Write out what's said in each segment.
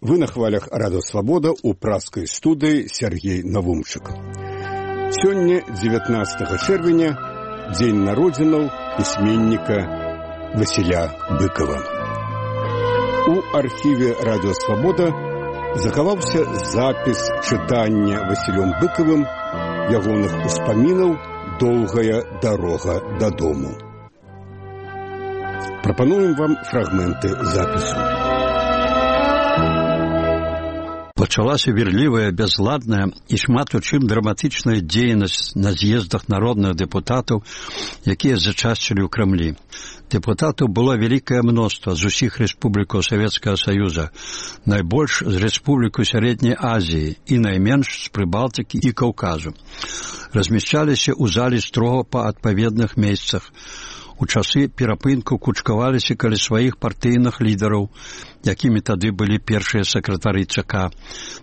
Вы на хвалях Радио Свобода у праскай студыі Сергей Навумчык. Сёння, 19 чэрвеня, дзень народзінаў пісьменніка Васіля Быкова. У архіве Радио Свобода захаваўся запіс чытання Васілём Быкавым ягоных успамінаў «Доўгая дарога дадому». Прапануем вам фрагменты запісу. Пачалася верлівая, бязладная і шмат у чым драматычная дзейнасць на з'ездах народных дэпутатаў, якія зачасцілі ў Крамлі. Дэпутатаў было вялікае мноства з усіх рэспублікаў Савецкага Саюза, найбольш з рэспублікаў Сярэдняй Азіі і найменш з Прыбалтыкі і Каўказу. Размяшчаліся ў залі строга па адпаведных месцах. У часы перапынку кучкаваліся каля сваіх партыйных лідараў, якімі тады былі першыя сакратары ЦК.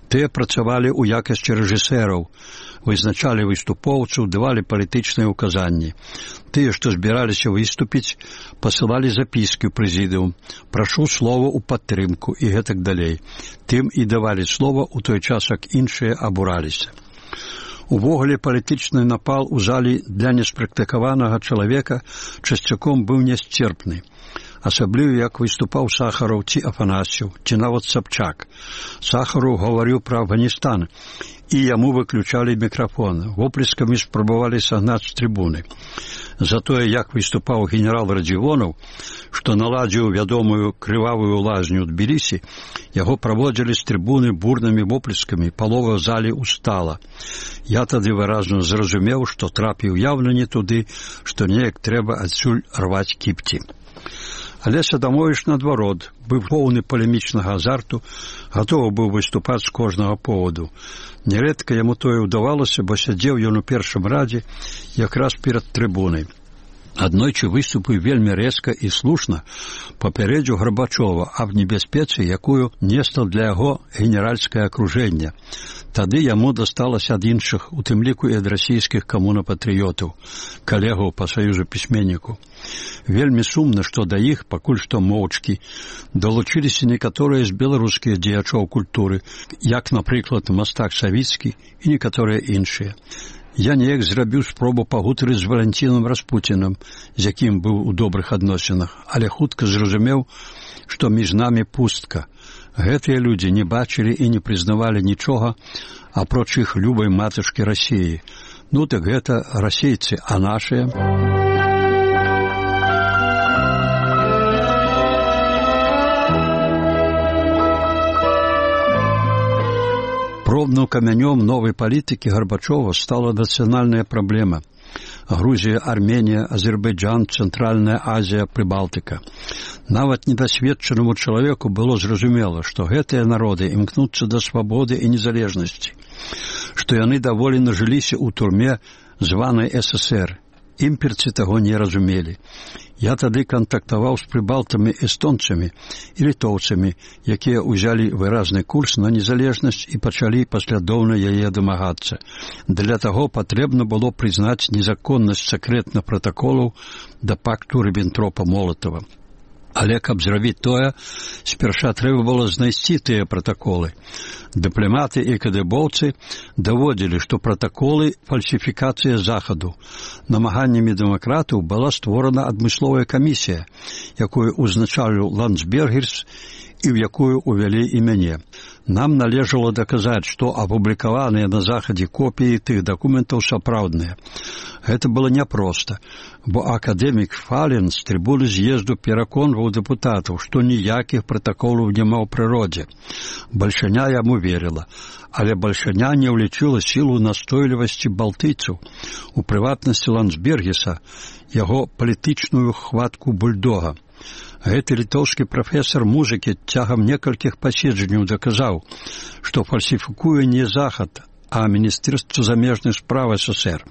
Тыя працавалі ў якасці рэжысэраў, вызначалі выступоўцаў, давалі палітычныя ўказанні. Тыя, што збіраліся выступіць, пасылалі запіскі ў прэзідыум, прашу слова ў падтрымку і гэтак далей. Тым і давалі слова ў той час, як іншыя абураліся. Увогуле палітычны напал у залі для неспрактыкаванага чалавека часцяком быў нясцерпны. Асабліва, як выступаў Сахараў ці Афанасьеў, ці нават Сабчак. Сахараў гаварыў пра Афганістан, і яму выключалі мікрафон. Воплескамі спрабавалі сагнаць з трыбуны. Затое, як выступаў генерал Радзівонаў, што наладзіў вядомую крывавую лазню ў Тбілісі, яго праводзілі з трыбуны бурнымі воплескамі, палова залі устала. Я тады выразна зразумеў, што трапіў яўна не туды, што неяк трэба адсюль рваць кіпці. Але Садамовіч, наадварот, быў поўны палемічнага азарту, гатовы быў выступаць з кожнага поводу. Нярэдка яму тое ўдавалася, бо сядзеў ён у першым радзе якраз перад трыбунай. Аднойчы выступіў вельмі рэзка і слушна, папярэдзіў Гарбачова аб небяспецы, якую несла для яго генеральскае акружэнне. Тады яму дасталася ад іншых, у тым ліку і ад расійскіх камунапатрыётаў, калегаў па саюзу пісьменніку. Вельмі сумна, што да іх, пакуль што моўчкі, далучыліся некаторыя з беларускіх дзеячоў культуры, як, напрыклад, мастак Савіцкі і некаторыя іншыя. Я неяк зрабіў спробу пагутарыць з Валянцінам Распуцінам, з якім быў у добрых адносінах, але хутка зразумеў, што між намі пустка. Гэтыя людзі не бачылі і не прызнавалі нічога, апроч іх любай матушкі Расіі. Ну так гэта расейцы, а нашыя? Пробным камянём новай палітыкі Гарбачова стала нацыянальная праблема. Грузія, Арменія, Азербайджан, Цэнтральная Азія, Прыбалтыка. Нават недасведчанаму чалавеку было зразумела, што гэтыя народы імкнуцца да свабоды і незалежнасці, што яны даволі нажыліся ў турме званай ССР. Імперцы таго не разумелі. Я тады кантактаваў з прыбалтамі эстонцамі і літоўцамі, якія ўзялі выразны курс на незалежнасць і пачалі паслядоўна яе дамагацца. Для таго патрэбна было прызнаць незаконнасць сакрэтных пратаколаў да пакту Ріббентропа-Молатава. Але каб зрабіць тое, спярша трэба было знайсці тыя пратаколы. Дыпламаты і кадыбоўцы даводзілі, што пратаколы – фальсіфікацыя Захаду. Намаганнямі дэмакратаў была створана адмысловая камісія, якую узначаліў Ландсбергерс і ў якую увялі і мяне. Нам належало даказаць, што апублікаваныя на Захадзе копіі тых дакументаў сапраўдныя. Гэта было няпроста, бо акадэмік Фален з трыбуны з'езду пераконваў дэпутатаў, што ніякіх пратаколаў няма ў прыродзе. Бальшаня яму верила, але Бальшаня не ўлічыла сілу настойлівасці балтыйцаў, у прыватнасці Ландсбергеса, яго палітычную хватку бульдога. Гэты літоўскі прафесар музыкі цягам некалькіх паседжанняў даказаў, што фальсіфікуе не Захад, а Міністэрства замежных спраў СССР.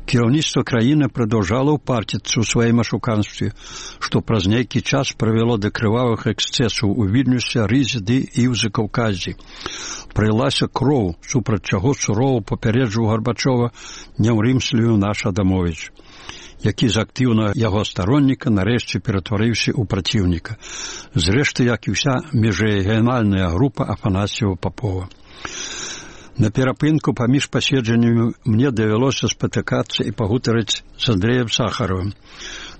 Кіраўніцтва краіны прадаўжала ўпарціцца ў сваім ашуканстве, што праз нейкі час прывяло да крывавых эксцэсаў у Вільнюсе, Рызе ды і ў Закаўказі. Прылася кроў, супраць чаго сурова папярэджваў Гарбачова, не ўрымсліваў наш Адамовіч. які з актыўнага яго старонніка нарэшце ператварыўся ў праціўніка. Зрэшты, як і ўся міжрэгіянальная група Афанасьева-Папова. На перапынку паміж паседжаннямі мне давялося спатыкацца і пагутарыць з Андрэем Сахаровым.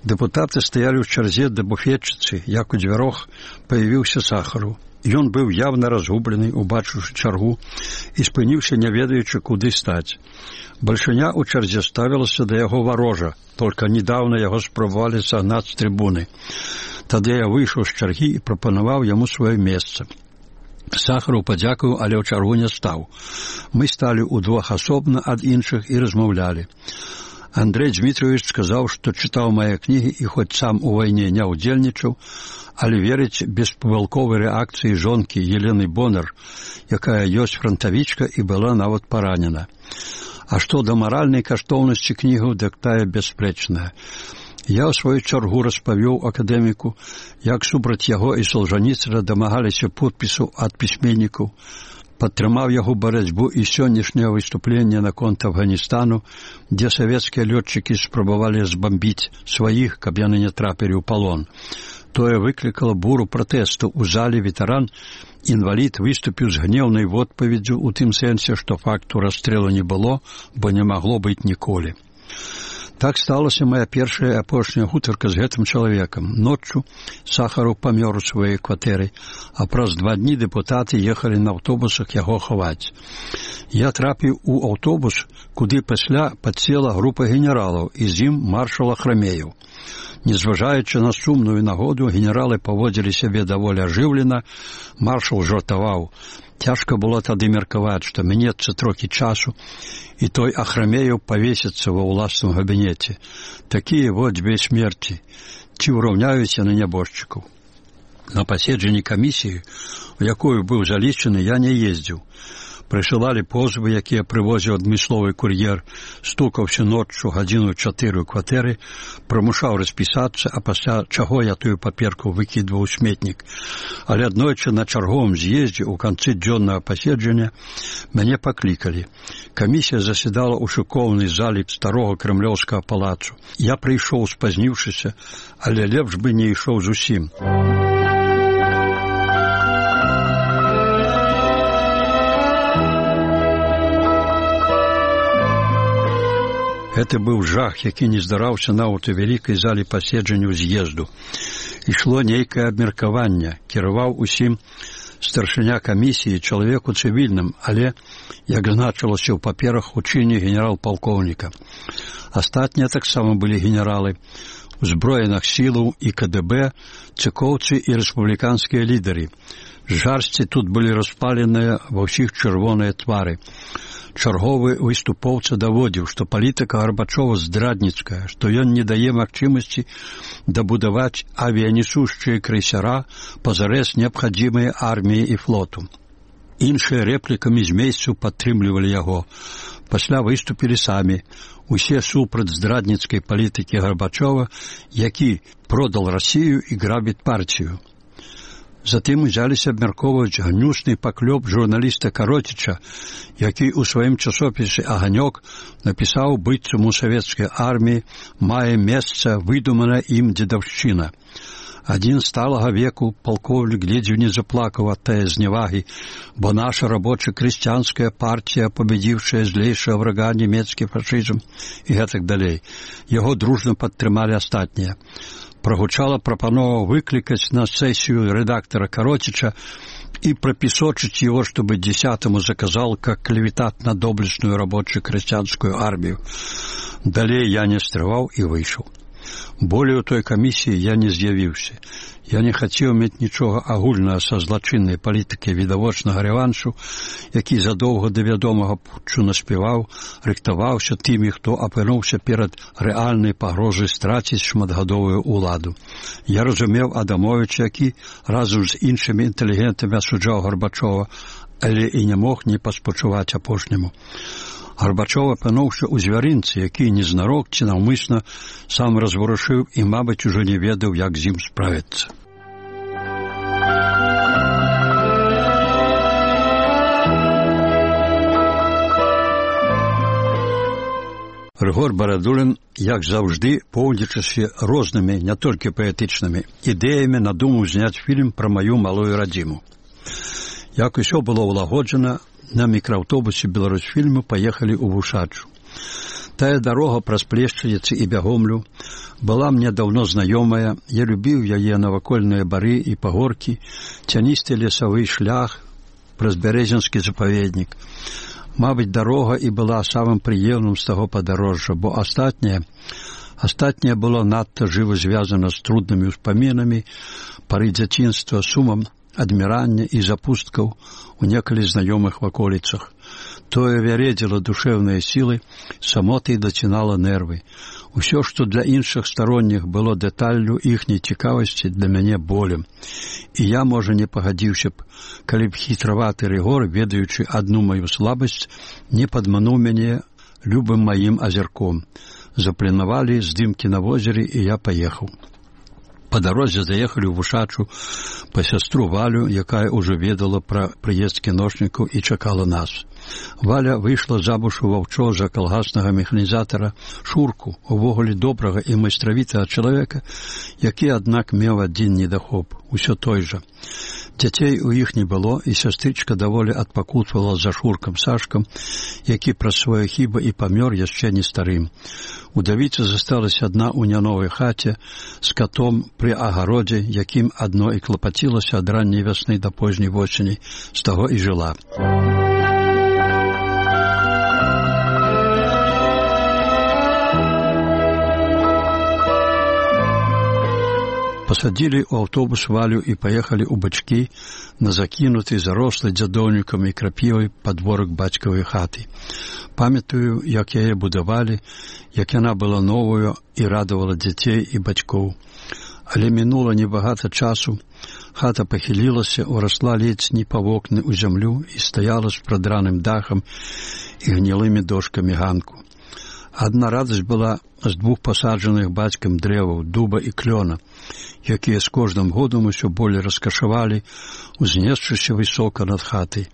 Дэпутаты стаялі ў чарзе да буфетчыцы, як у дзвярох паявіўся Сахаров. Ён быў явна разгублены, убачыўшы чаргу, і спыніўся, не ведаючы, куды стаць. Бальшыня ў чарзе ставілася да яго варожа, толькі недаўна яго спрабавалі сагнаць з трыбуны. Тады я выйшаў з чаргі і прапанаваў яму сваё месца. Сахаров падзякаваў, але ў чаргу не стаў. Мы сталі ўдвох асобна ад іншых і размаўлялі. Андрей Дмитриевич сказаў, што чытаў мае кнігі і хоць сам у вайне не ўдзельнічаў, але верыць беспамылковай рэакцыі жонкі Елены Бонар, якая ёсць франтавічка і была нават паранена. А што да маральнай каштоўнасці кнігаў, дык тая бясспрэчная. Я ў сваю чаргу распавёў акадэміку, як супраць яго і Солжаніцына дамагаліся подпісу ад пісьменнікаў, падтрымаў яго барацьбу і сённяшняе выступленне наконт Афганістану, дзе савецкія лётчыкі спрабавалі збамбіць сваіх, каб яны не трапілі ў палон. Тое выклікала буру пратэсту ў зале. Ветэран, інвалід, выступіў з гнеўнай водпаведдзю ў тым сэнсе, што факту расстрэлу не было, бо не магло быць ніколі. Так сталася моя першая і апошняя гутарка з гэтым чалавекам. Ноччу Сахаров памёр у сваёй кватэры, а праз 2 дні дэпутаты ехалі на аўтобусах яго хаваць. Я трапіў у аўтобус, куды пасля падсела група генералаў, і з ім маршал Ахрамеев. Незважаючы на сумную нагоду, генералы паводзілі сябе даволі ажыўлена, маршал жартаваў. Цяжка было тады меркаваць, што мінецца трохі часу, і той Ахрамеев павесіцца ва ўласным габінеце. Такія вот 2 смерці. Ці ўраўняюць яны нябожчыкаў? На паседжанні камісіі, у якую быў залічаны, я не ездзіў. Прысылалі позвы, якія прывозіў адмысловы кур'ер, стукаўся ноччу 1:04 ў кватэры, прымушаў распісацца, а пасля чаго я тую паперку выкідваў у сметнік. Але аднойчы на чарговым з'ездзе ў канцы дзённага паседжання мяне паклікалі. Камісія заседала ў шыкоўнай залі старога крэмлёўскага палацу. Я прыйшоў спазніўшыся, але лепш бы не ішоў зусім. Гэта быў жах, які не здараўся нават у вялікай зале паседжанняў з'езду. Ішло нейкае абмеркаванне, кіраваў усім старшыня камісіі, чалавек у цывільным, але, як значылася ў паперах, у чыне генерал-палкоўніка. Астатнія таксама былі генералы, узброеных сілаў і КДБ, цыкоўцы і рэспубліканскія лідары. Жарсці тут былі распаленыя ва ўсіх чырвоныя твары. Чарговы выступоўца даводзіў, што палітыка Гарбачова здрадніцкая, што ён не дае магчымасці дабудаваць авіянесушчыя крейсера пазарэз неабхадзімыя арміі і флоту. Іншыя рэплікамі з месцу падтрымлівалі яго. Пасля выступілі самі. Усе супраць здрадніцкай палітыкі Гарбачова, які продал Расію і грабіць партію. Затым узяліся абмяркоўваць гнюсны паклёп журналіста Кароціча, які ў сваім часопісе «Аганёк» напісаў, быццам у савецкай арміі мае месца выдуманая ім дзедаўшчына. Адзін сталага веку палкоўнік ледзьве не заплакаў ад тае зневагі, бо наша рабоча-крысціянская партія, пабедзіўшая злейшага врага нямецкі фашызм і гэтак далей. Яго дружна падтрымалі астатнія. Прогучала прапанова выкликать на сессию редактора Коротича и пропесочить его, чтобы 10-му заказал как клеветать на доблестную рабочую крестьянскую армию. Далее я не стрывал и вышел. Более у той комиссии я не з'явіўся. Я не хацеў мець нічога агульнага са злачыннай палітыкай відавочнага рэваншу, які задоўга да вядомага путчу наспяваў, рыхтаваўся тымі, хто апынуўся перад рэальнай пагрозай страціць шматгадовую ўладу. Я разумеў Адамовіча, які разам з іншымі інтэлігентамі асуджаў Гарбачова, але і не мог не паспачуваць апошняму. Гарбачов апынуўся ў звярынцы, які незнарок ці наўмысна сам разварушыў і, мабыць, ужо не ведаў, як з ім справіцца. Рыгор Барадулін, як заўжды, поўнічаўся рознымі, не толькі паэтычнымі, ідэямі надумаў зняць фільм пра маю малую радзіму. Як усё было ўлагоджана, на мікрааўтобусе Беларусьфільму паехалі ў Вушачу. Тая дарога праз Плешчаніцы і Бягомлю была мне даўно знаёмая, я любіў яе навакольныя бары і пагоркі, цяністы лесавы шлях праз Бярэзінскі запаведнік. Мабыць, дарога і была самым прыемным з таго падарожжа, бо астатняе было надта жыва звязана з труднымі ўспамінамі, пары дзяцінства, сумам адмірання і запусткаў у некалі знаёмых ваколіцах. Тое вяредзіла душэўныя сілы, самотай дацінала нервы. Усё, што для іншых старонніх было дэталлю іхняй цікавасці, для мяне болем. І я, можа, не пагадзіўся б, калі б хітраваты Рыгор, ведаючы адну маю слабасць, не падмануў мяне любым маім азірком. Запланавалі здымкі на возеры, і я паехаў. Па дарозе заехалі ў Вушачу па сястру Валю, якая ўжо ведала пра прыезд кіношнікаў і чакала нас. Валя выйшла замуж у ваўчо за калгаснага механізатара Шурку, увогуле добрага і майстравітага чалавека, які, аднак, меў адзін недахоп, усё той жа. Дзяцей у іх не было, і сястрычка даволі адпакутвала за Шуркам Сашкам, які праз свае хібы і памёр яшчэ не старым. Удавіца засталась адна ў няновай хаце з катом пры агародзе, якім адно і клапацілася ад ранняй вясны да позняй восені, з таго і жыла. Пасадзілі ў аўтобус Валю і паехалі ў бачкі на закінуты, зарослы дзядоўнікам і крапівай падворак бацькавай хаты. Памятаю, як яе будавалі, як яна была новую і радавала дзяцей і бацькоў. Але мінула небагата часу, хата пахілілася, урасла ледзь не па вокны ў зямлю і стаяла з прадраным дахам і гнілымі дошкамі ганку. Адна радасць была з двух пасаджаных бацькам дрэваў, дуба і клёна, якія з кожным годам усё болей раскашавалі, узнесшыся высока над хатай.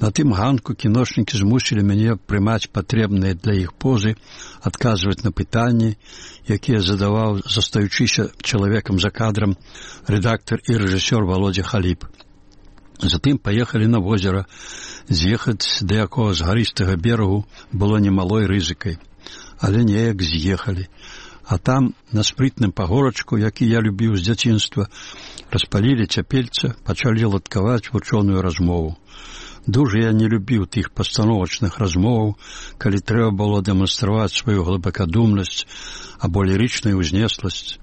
На тым ганку кіношнікі змусілі мяне прымаць патрэбныя для іх позы, адказваць на пытанні, якія задаваў, застаючыся чалавекам за кадрам, рэдактар і рэжысёр Володя Халіп. Затым паехалі на возера. З'ехаць да якога з гарыстага берагу было немалой рызыкай. Але неяк з'ехалі. А там, на спрытным пагорачку, які я любіў з дзяцінства, распалілі цяпельца, пачалі ладкаваць вучоную размову. Дужа я не любіў тых пастановачных размоваў, калі трэба было дэманстраваць сваю глыбакадумнасць або лірычную ўзнесласць.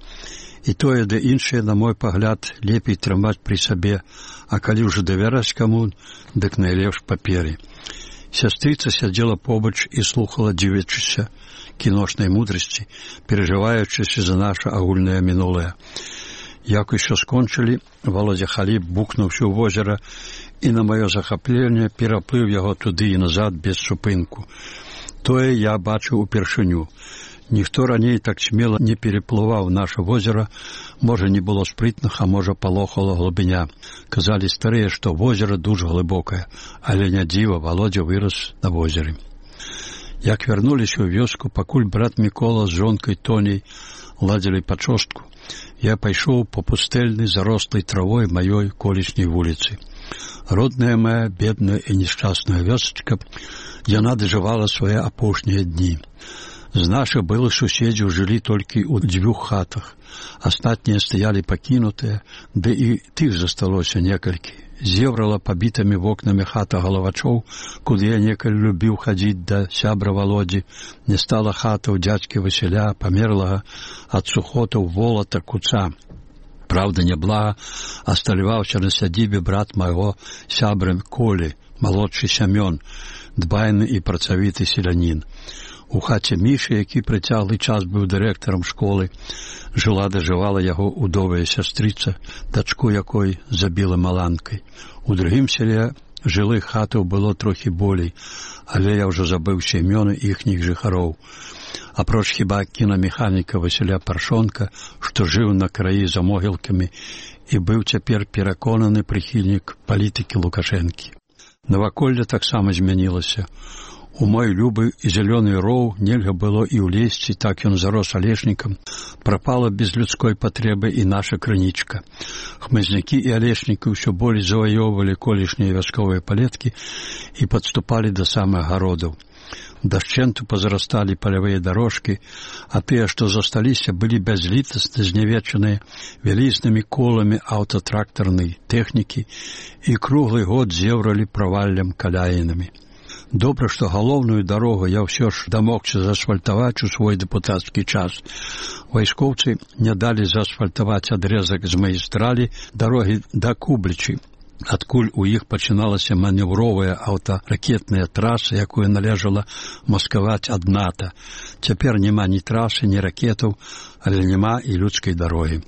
І тое, да іншае, на мой пагляд, лепей трымаць пры сабе, а калі ўжо давяраць каму, дык найлепш паперы. Сястрыца сядзела побач і слухала, дзівячыся кіношнай мудрасці, перажываючыся за наша агульнае мінулае. Як усё скончылі, Володя Халіп бухнуўся ў возера і на маё захапленне пераплыў яго туды і назад без супынку. Тое я бачыў упершыню. Ніхто раней так смела не переплываў наша возера, можа, не было спрытных, а можа, палохала глыбіня. Казалі старыя, што возера дужа глыбокае, але не дзіва, Володя вырас на возеры. Як вярнуліся ў вёску, пакуль брат Мікола з жонкай Тоней ладзілі пачостку, я пайшоў па пустэльнай зарослай травой маёй колішняй вуліцы. Родная моя, бедная і нешчасная вёсачка, яна дажывала свае апошнія дні. З нашых былых суседзяў жылі толькі ў 2 хатах. Астатнія стаялі пакінутыя, ды і тых засталося некалькі. Зеврала пабітымі вокнамі хата Галавачоў, куды я некалі любіў хадзіць да сябра Володзі. Не стала хата ў дзядзькі Васіля, памерлага ад сухотаў волата Куца. Праўда, няблага асталяваўся на сядзібе брат майго сябра Колі, малодшы Сямён, дбайны і працавіты селянін. У хаце Мішы, які прыцяглы час быў дырэктарам школы, жыла-дажывала яго удовая сястрыца, дачку якой забіла маланкай. У другім селе жылых хатаў было трохі болей, але я ўжо забыўся імёны іхніх жыхароў. Апроч хіба кінамеханіка Васіля Паршонка, што жыў на краі за могілкамі і быў цяпер пераконаны прыхільнік палітыкі Лукашэнкі. Наваколле таксама змянілася. У мой любы і зялёны роў нельга было і ўлезці, так ён зарос алешнікам. Прапала без людской патрэбы і наша крынічка. Хмызнякі і алешнікі ўсё болей заваёўвалі колішнія вясковыя палеткі і падступалі да самых гародаў. Дашчэнту пазарасталі палявыя дарожкі, а тыя, што засталіся, былі бязлітасна знявечаныя вялізнымі коламі аўтатрактарнай тэхнікі і круглы год зеўралі праваллям каляінамі. Добра, што галоўную дарогу я ўсё ж дамогся заасфальтаваць у свой дэпутацкі час. Вайскоўцы не далі заасфальтаваць адрэзак з магістралі дарогі да Кублічы, адкуль у іх пачыналася манеўровая аўтаракетная траса, якую належала маскаваць ад НАТО. Цяпер няма ні трасы, ні ракетаў, але няма і людскай дарогі.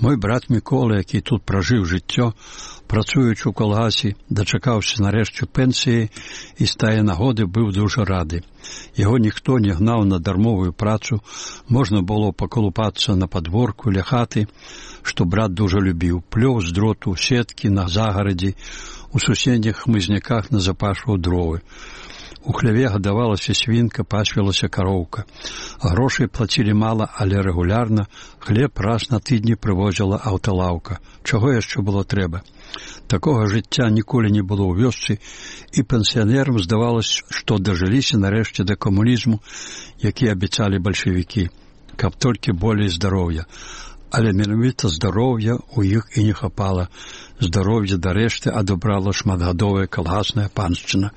Мой брат Мікола, які тут пражыў жыццё, працуючы ў калгасе, дачакаўся нарэшце пенсіі і з тае нагоды быў дужа рады. Яго ніхто не гнаў на дармовую працу, можна было пакалупацца на падворку ля хаты, што брат дужа любіў, плёў з дроту, сеткі на загарадзі, у суседніх хмызняках назапашваў дровы. У хляве гадавалася свінка, пасвілася кароўка. Грошай плацілі мала, але рэгулярна. Хлеб раз на тыдні прывозіла аўталаўка. Чаго яшчэ было трэба? Такога жыцця ніколі не было ў вёсцы, і пенсіянерам здавалася, што дажыліся нарэшце да камунізму, які абяцалі бальшавікі, каб толькі болей здароўя. Але менавіта здароўя ў іх і не хапала. Здароўе дарэшты адабрала шматгадовая калгасная паншчына.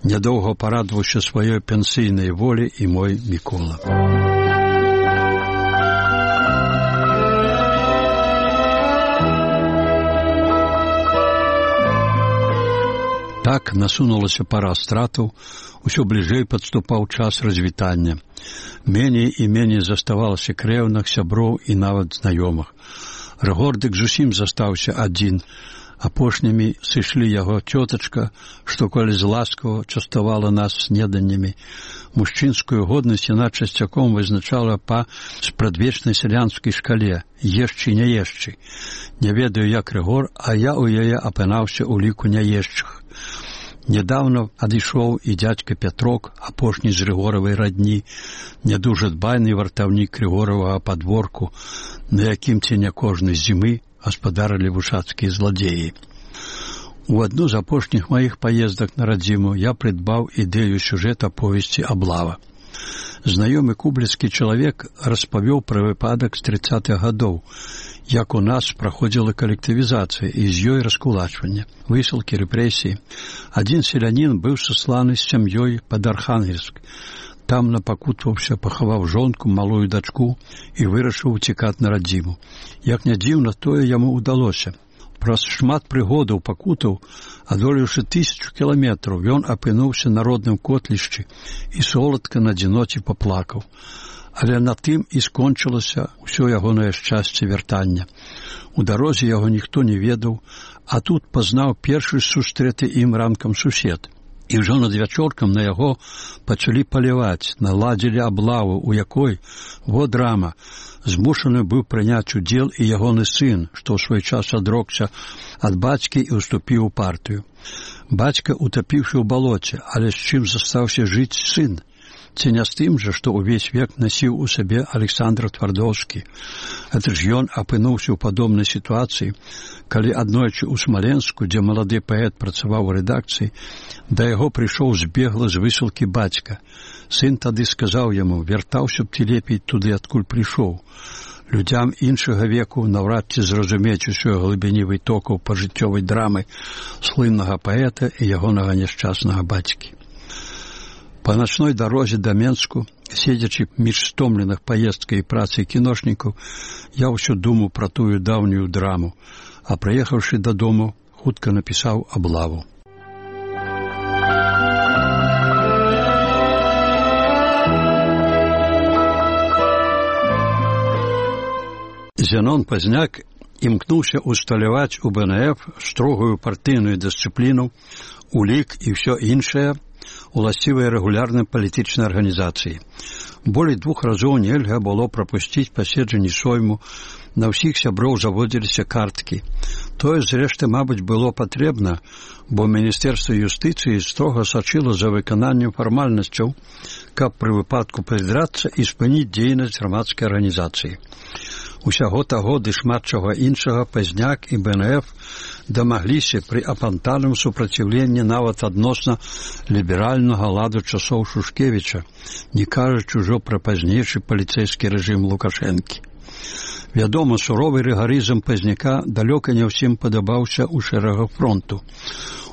Нядоўга парадваўся сваёй пенсійнай волі і мой Мікола. Так насунулася пара стратаў, усё бліжэй падступаў час развітання. Меней і меней заставалася крэўных, сяброў і нават знаёмых. Рыгордык зусім застаўся адзін. Апошнімі сышлі яго цётачка, што коли ласкава частавала нас снеданнямі. Мужчынскую годнасць яна часцяком вызначала па спрадвечнай сялянскай шкале «ешчы, не ешчы». Не ведаю, як Рыгор, а я ў яе апынаўся ў ліку няешчых. Нядаўна адышоў і дзядзька Пятрок, апошні з Рыгоравай радні, нядужа дбайны вартаўнік Рыгоравага падворку, на якім ці не кожнай зімы гаспадарылі вушацкія зладзеі. У адну з апошніх маіх паездак на радзіму я прыдбаў ідэю сюжэта повесці «Аблава». Знаёмы кубліцкі чалавек распавёў пра выпадак з 30-х гадоў, як у нас праходзіла калектывізацыя і з ёй раскулачванне, высылкі, рэпрэсіі. Адзін селянін быў сасланы з сям'ёй пад Архангельск. Там напакутваўся, пахаваў жонку, малую дачку і вырашыў уцікаць на радзіму. Як не дзіўна, тое яму ўдалося. Праз шмат прыгодаў пакутаў, адолеўшы 1000 кіламетраў, ён апынуўся на родным котлішчы і соладка на адзіноце паплакаў. Але на тым і скончылася ўсё ягонае шчасце вяртання. У дарозе яго ніхто не ведаў, а тут пазнаў першы сустрэты ім ранкам сусед. І ўжо над вячоркам на яго пачалі паляваць, наладзілі аблаву, у якой, во драма, змушаны быў прыняць удзел і ягоны сын, што ў свой час адрокся ад бацькі і ўступіў у партыю. Бацька утапіўшы ў балоце, але з чым застаўся жыць сын? Ці не з тым жа, што ўвесь век насіў у сабе Александр Твардоўскі. Гэта ж ён апынуўся ў падобнай сітуацыі, калі аднойчы ў Смаленску, дзе малады паэт працаваў у рэдакцыі, да яго прыйшоў збегла з высылкі бацька. Сын тады сказаў яму: «Вяртаўся б ты лепей туды, адкуль прыйшоў». Людзям іншага веку наўрад ці зразумець усёй глыбіні вытокаў пажыццёвай драмы слыннага паэта і ягонага няшчаснага бацькі. Па начной дарозе да Менску, седзячы між стомленых паездкай і працай кіношнікаў, я ўсё думаў пра тую даўнюю драму, а прыехаўшы дадому, хутка напісаў «Аблаву». Зенон Пазняк імкнуўся усталяваць у БНФ строгую партыйную дысцыпліну, улік і ўсё іншае, уласцівыя рэгулярнай палітычнай арганізацыі. Болей 2 разоў нельга было прапусціць паседжанні сойму, на ўсіх сяброў заводзіліся карткі. Тое, зрэшты, мабыць, было патрэбна, бо Міністэрства юстыцыі строга сачыла за выкананнем фармальнасцяў, каб пры выпадку прыдрацца і спыніць дзейнасць грамадскай арганізацыі. Усяго таго ды шмат чаго іншага Пазняк і БНФ дамагліся пры апантаным супраціўленні нават адносна ліберальнага ладу часоў Шушкевіча, не кажучы ўжо пра пазнейшы паліцэйскі рэжым Лукашэнкі. Вядома, суровы рыгарызм Пазняка далёка не ўсім падабаўся ў шэрагах фронту.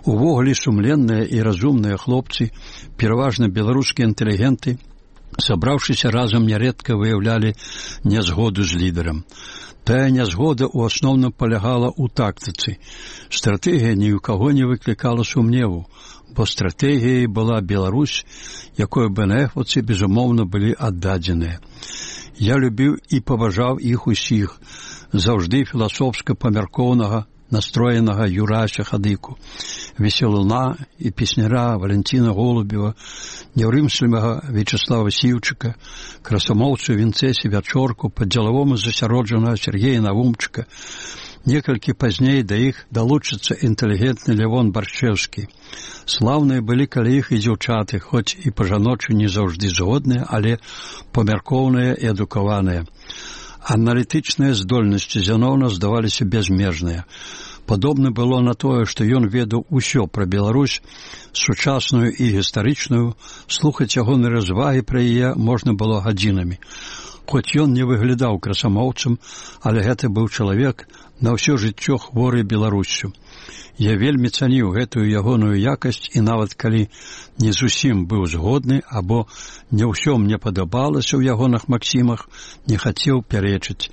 Увогуле сумленныя і разумныя хлопцы, пераважна беларускія інтэлігенты, сабраўшыся разам нярэдка выяўлялі нязгоду з лідарам. Тая нязгода ў асноўным палягала ў тактыцы. Стратэгія ні ў каго не выклікала сумневу, бо стратэгіяй была Беларусь, якой БНФаўцы, безумоўна, былі аддадзеныя. Я любіў і паважаў іх усіх, заўжды філасофска памяркоўнага, настроенага Юрася Хадыку, весёлуна і песняра Валентина Голубева, няўрымслівага Вячеслава Сіўчыка, красамоўцу Вінцэсі Вячорку, падзелавому засяроджанага Сергея Навумчыка. Некалькі пазней да іх далучыцца інтэлігентны Лявон Баршчэўскі. Слаўныя былі каля іх і дзяўчаты, хоць і па-жаночы не заўжды згодныя, але памяркоўныя і адукаваныя. Аналітычныя здольнасці Зяноўна здаваліся бязмежныя. Падобна было на тое, што ён ведаў усё пра Беларусь, сучасную і гістарычную, слухаць ягоныя развагі пра яе можна было гадзінамі. Хоць ён не выглядаў красамоўцам, але гэта быў чалавек на ўсё жыццё хворы Беларуссю. Я вельмі цаніў гэтую ягоную якасць і нават калі не зусім быў згодны або не ўсё мне падабалася ў ягоных максімах, не хацеў пярэчыць.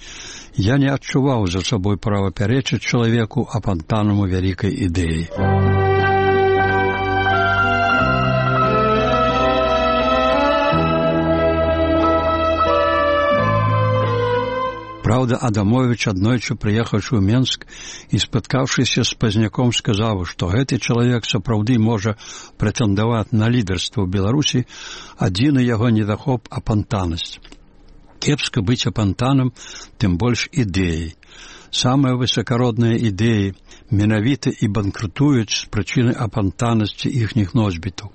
Я не адчуваў за сабой права пярэчыць чалавеку апантанаму вялікай ідэі. Праўда, Адамовіч, аднойчы прыехаўшы ў Менск і спаткаўшыся з Пазняком, сказаў, што гэты чалавек сапраўды можа прэтэндаваць на лідарства ў Беларусі, адзіны яго недахоп апантанасць. Кепска быць апантанам, тым больш ідэяй. Самыя высакародныя ідэі менавіта і банкрутуюць з прычыны апантанасці іхніх носьбітаў.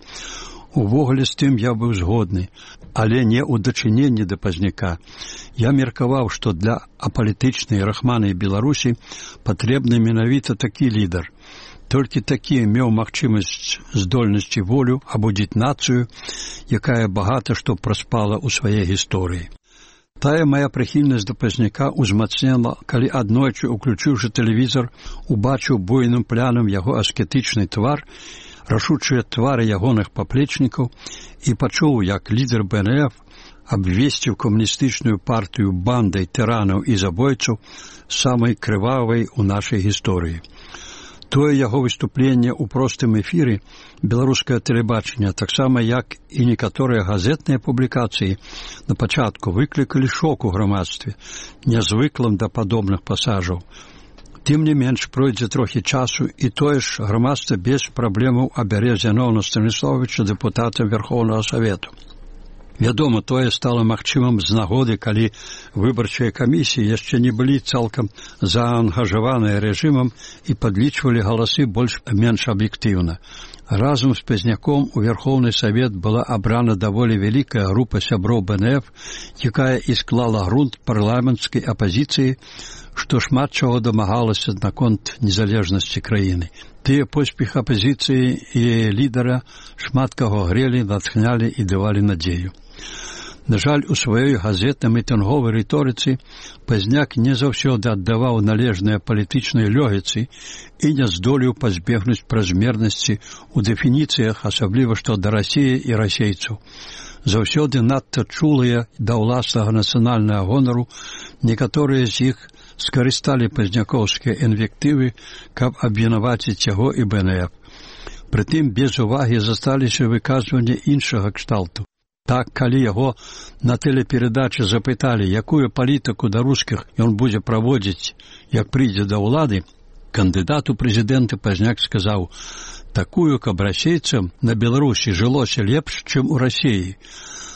Увогуле з тым я быў згодны, але не ў дачыненні да Пазняка. Я меркаваў, што для апалітычнай рахманай Беларусі патрэбны менавіта такі лідар. Толькі такі меў магчымасць, здольнасць і волю абудзіць нацыю, якая багата што праспала ў сваёй гісторыі. Тая мая прыхільнасць да Пазняка ўзмацнела, калі аднойчы, уключыўшы тэлевізор, убачыў буйным плянам яго аскетычны твар, рашучыя твары ягоных паплечнікаў і пачуў, як лідар БНФ абвесціў камуністычную партыю бандай тыранаў і забойцаў самай крывавай у нашай гісторыі. Тое яго выступленне ў простым эфіры беларускае тэлебачання, таксама як і некаторыя газетныя публікацыі, на пачатку выклікалі шок у грамадстве, нязвыклым да падобных пасажаў. Тым не менш, пройдзе трохі часу, і тое ж грамадства без праблемаў абярэ Зяноўна Станіславовича дэпутатам Верхоўнага Савету. Вядома, тое стала магчымым з нагоды, калі выбарчыя камісіі яшчэ не былі цалкам заангажаваныя рэжымам і падлічвалі галасы больш-менш аб'ектыўна. Разам з Пазняком у Верхоўны Савет была абрана даволі вялікая група сяброў БНФ, якая і склала грунт парламенцкай апазіцыі, што шмат чаго дамагалася наконт незалежнасці краіны. Тыя поспех апазіцыі і яе лідара шмат каго грелі, натхнялі і давалі надзею. На жаль, у сваёй газетна-мітынговай рыторыцы Пазняк не заўсёды аддаваў належныя палітычнай лёгіцы і не здолеў пазбегнуць празмернасці ў дэфініцыях, асабліва што да Расіі і расейцаў. Заўсёды надта чулыя да ўласнага нацыянальнага гонару, некаторыя з іх скарысталі пазнякоўскія інвектывы, каб абвінаваціць яго і БНФ. Прытым без увагі засталіся выказванні іншага кшталту. Так, калі яго на тэлеперадачы запыталі, якую палітыку да рускіх ён будзе праводзіць, як прыйдзе да ўлады, Кандыдат у прэзідэнты пазняк сказаў: «Такую, каб расейцам на Беларусі жылося лепш, чым у Расіі».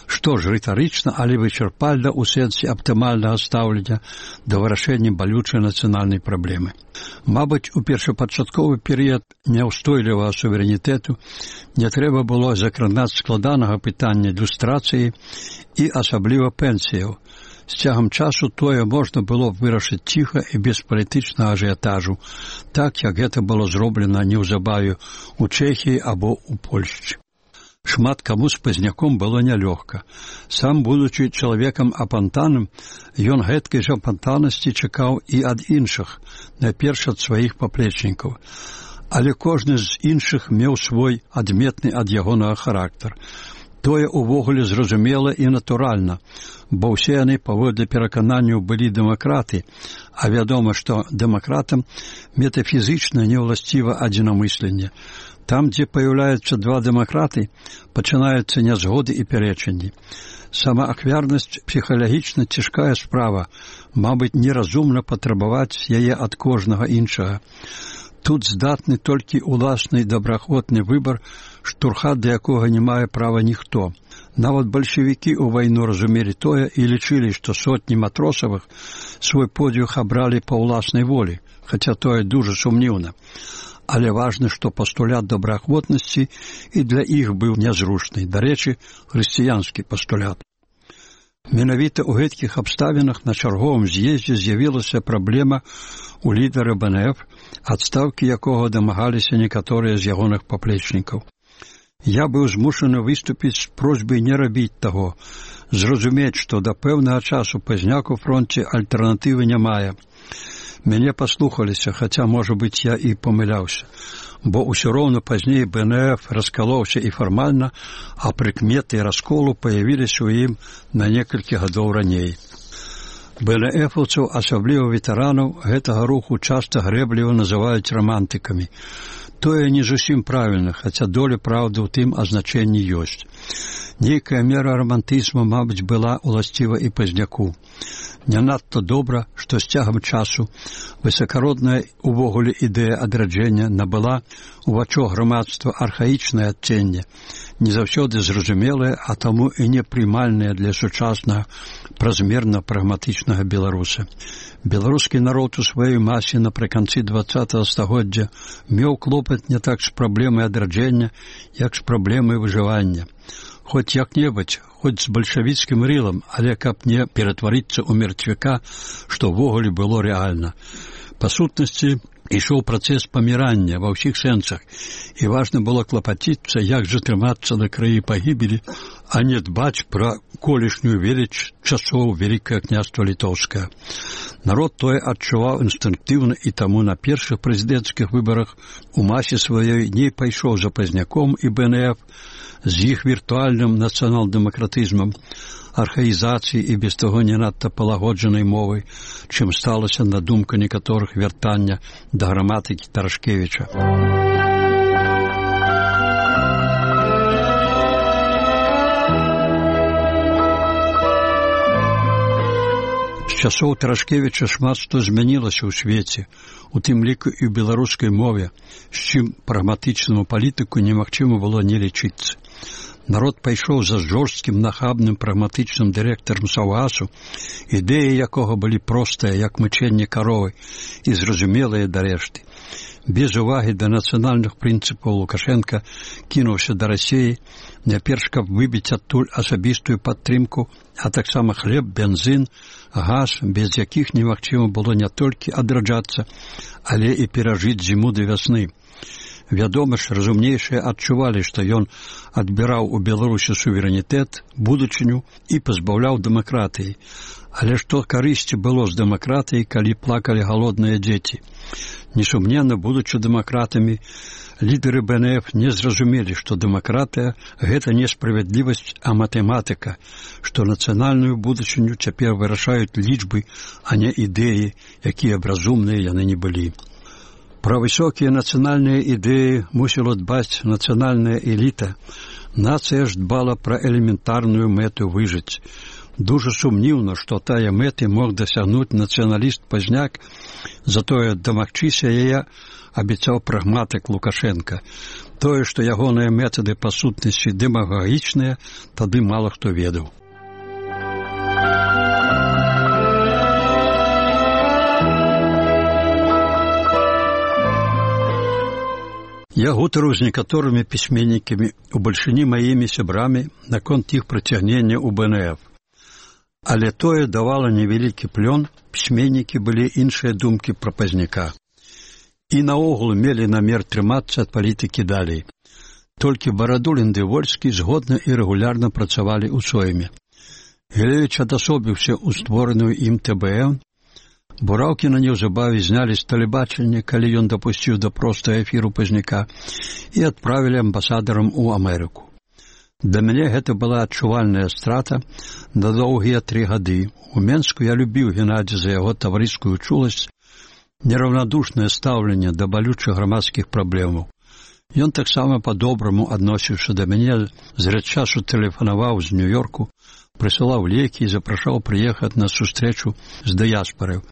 Што ж, рытарычна, але вычарпальна ў сэнсе аптымальнага стаўлення да вырашэння балючай нацыянальнай праблемы. Мабыць, у першапачатковы перыяд няўстойлівага суверэнітэту не трэба было закранаць складанага пытання люстрацыі і асабліва пенсіяў. З цягам часу тое можна было вырашыць ціха і без палітычнага ажыятажу, так, як гэта было зроблена неўзабаве ў Чэхіі або ў Польшчы. Шмат каму з пазняком было нялёгка. Сам, будучы чалавекам апантаным, ён гэткай жа апантанасці чакаў і ад іншых, найперш ад сваіх паплечнікаў. Але кожны з іншых меў свой адметны ад ягонага характар. Тое ўвогуле зразумела і натуральна, бо ўсе яны паводле перакананняў былі дэмакраты, а вядома, што дэмакратам метафізычна не ўласціва адзінамысленне. Там, дзе паяўляюцца два дэмакраты, пачынаюцца нязгоды і пярэчанні. Самаахвярнасць псіхалагічна цяжкая справа, мабыць, неразумна патрабаваць яе ад кожнага іншага. Тут здатны толькі уласны добраахвотны выбар, штурхаць да якога не мае права ніхто. Нават бальшавікі ў вайну разумелі тое і лічылі, што сотні матросавых свой подвиг абралі па ўласнай волі, хаця тое дужа сумнеўна. Але важна, што пастулят добраахвотнасці і для іх быў нязручны. Дарэчы, хрысціянскі пастулят. Менавіта ў гэткіх абставінах на чарговым з'ездзе з'явілася праблема у лідара БНФ, адстаўкі якога дамагаліся некаторыя з ягоных паплечнікаў. Я быў змушаны выступіць з просьбай не рабіць таго, зразумець, што да пэўнага часу пазняк у фронце альтэрнатывы не мае. Мяне паслухаліся, хаця, можа быць, я і памыляўся, бо ўсё роўна пазней БНФ раскалоўся і фармальна, а прыкметы расколу паявіліся ў ім на некалькі гадоў раней. БНФаўцаў, асабліва ветэранаў, гэтага руху часта грэбліва называюць рамантыкамі. Тое не зусім правільна, хаця доля праўды ў тым азначэнні ёсць. Нейкая мера рамантызму, мабыць, была ўласціва і пазняку. Не надта добра, што з цягам часу высакародная увогуле ідэя адраджэння набыла у вачах грамадства архаічнае адценне, не заўсёды зразумелае, а таму і непрымальнае для сучаснага празмерна прагматычнага беларуса. Беларускі народ у сваёй масе напрыканцы 20-го стагоддзя меў клопат не так з праблемай адраджэння, як з праблемай выжывання. Хоць як-небудзь, хоць з бальшавіцкім рылам, але каб не ператварыцца ў мертвяка, што ўвогуле было рэальна. Па сутнасці, ішоў працэс памірання ва ўсіх сэнсах, і важна было клапаціцца, як жа трымацца на краі пагібелі, а не дбаць пра колішнюю веліч часоў Вялікае княства Літоўскае. Народ тое адчуваў інстынктыўна, і таму на першых прэзідэнцкіх выбарах у масе сваёй не пайшоў за пазняком і БНФ, з іх віртуальным нацыянал-дэмакратызмам, архаізацыі і без таго не надта палагоджанай мовай, чым сталася на думку некаторых вяртання да граматыкі Тарашкевіча. З часоў Тарашкевіча шмат што змянілася ў свеце, у тым ліку і ў беларускай мове, з чым прагматычнаму палітыку немагчыма было не лічыцца. Народ пайшоў за жорсткім, нахабным, прагматычным дырэктарам Саўгасу, ідэі якога былі простыя, як мычэнне каровы, і зразумелыя да рэшты. Без увагі да нацыянальных прынцыпаў Лукашенка кінуўся да Расіі, найперш каб выбіць адтуль асабістую падтрымку, а таксама хлеб, бензін, газ, без якіх немагчыма было не толькі адраджацца, але і перажыць зіму да вясны. Вядома ж, разумнейшыя адчувалі, што ён адбіраў у Беларусі суверэнітэт, будучыню і пазбаўляў дэмакратыі. Але што карысці было з дэмакратыяй, калі плакалі галодныя дзеці? Несумненна, будучы дэмакратамі, лідары БНФ не зразумелі, што дэмакратыя – гэта не справядлівасць, а матэматыка, што нацыянальную будучыню цяпер вырашаюць лічбы, а не ідэі, якія б разумныя яны не былі. Пра высокія нацыянальныя ідэі мусіла дбаць нацыянальная эліта. Нацыя ж дбала пра элементарную мэту выжыць. Дужа сумнівна, што тая мэты мог дасягнуць нацыяналіст Пазняк, затое дамагчыся яе абяцаў прагматык Лукашенка. Тое, што ягоныя метады па сутнасці дэмагагічныя, тады мала хто ведаў. Я гутарыў з некаторымі пісьменнікамі, у бальшыні маімі сябрамі, наконт іх прыцягнення ў БНФ. Але тое давала невялікі плён, пісьменнікі былі іншыя думкі пра Пазняка. І наогул мелі намер трымацца ад палітыкі далей. Толькі Барадулін ды Вольскі згодна і рэгулярна працавалі ў сойме. Гілевіч адасобіўся ў створаную ім ТБН. Бураўкіна неўзабаве знялі з тэлебачання, калі ён дапусціў да простага эфіру Пазняка, і адправілі амбасадарам у Амерыку. Для мяне гэта была адчувальная страта на доўгія 3 гады. У Менску я любіў Геннадзя за яго таварыскую чуласць, нераўнадушнае стаўленне да балючых грамадскіх праблемаў. Ён таксама па-добраму адносіўся да мяне, зрэд часу тэлефанаваў з Нью-Йорку, прысылаў лекі і запрашаў прыехаць на сустрэчу з дыяспарай.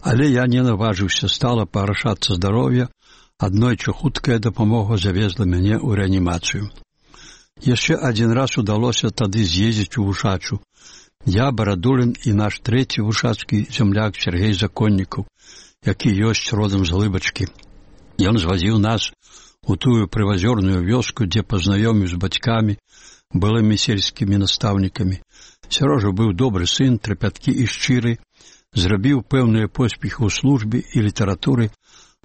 Але я не наважыўся стала парашацца здароўя, аднойчы хуткая дапамога завезла мяне ў рэанімацыю. Яшчэ адзін раз удалося тады з'ездзіць у Вушачу. Я, Барадулін і наш трэці вушацкі зямляк Сергей Законнікаў, які ёсць родам з Глыбачкі. Ён звазіў нас у тую прывазёрную вёску, дзе пазнаёміў з бацькамі, былымі сельскімі настаўнікамі. Сярожа быў добры сын, трапяткі і шчыры, зрабіў пэўныя поспехі ў службе і літаратуры,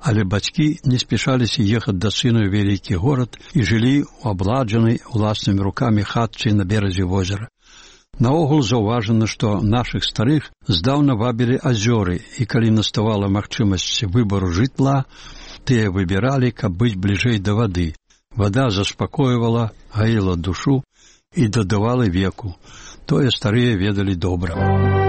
але бацькі не спяшаліся ехаць да сына ў вялікі горад і жылі ў абладжанай уласнымі рукамі хатцы на беразе возера. Наогул заўважана, што нашых старых здаўна вабілі азёры, і калі наставала магчымасць выбару жытла, тыя выбіралі, каб быць бліжэй да вады. Вада заспакойвала, гаіла душу і дадавала веку. Тое старыя ведалі добра.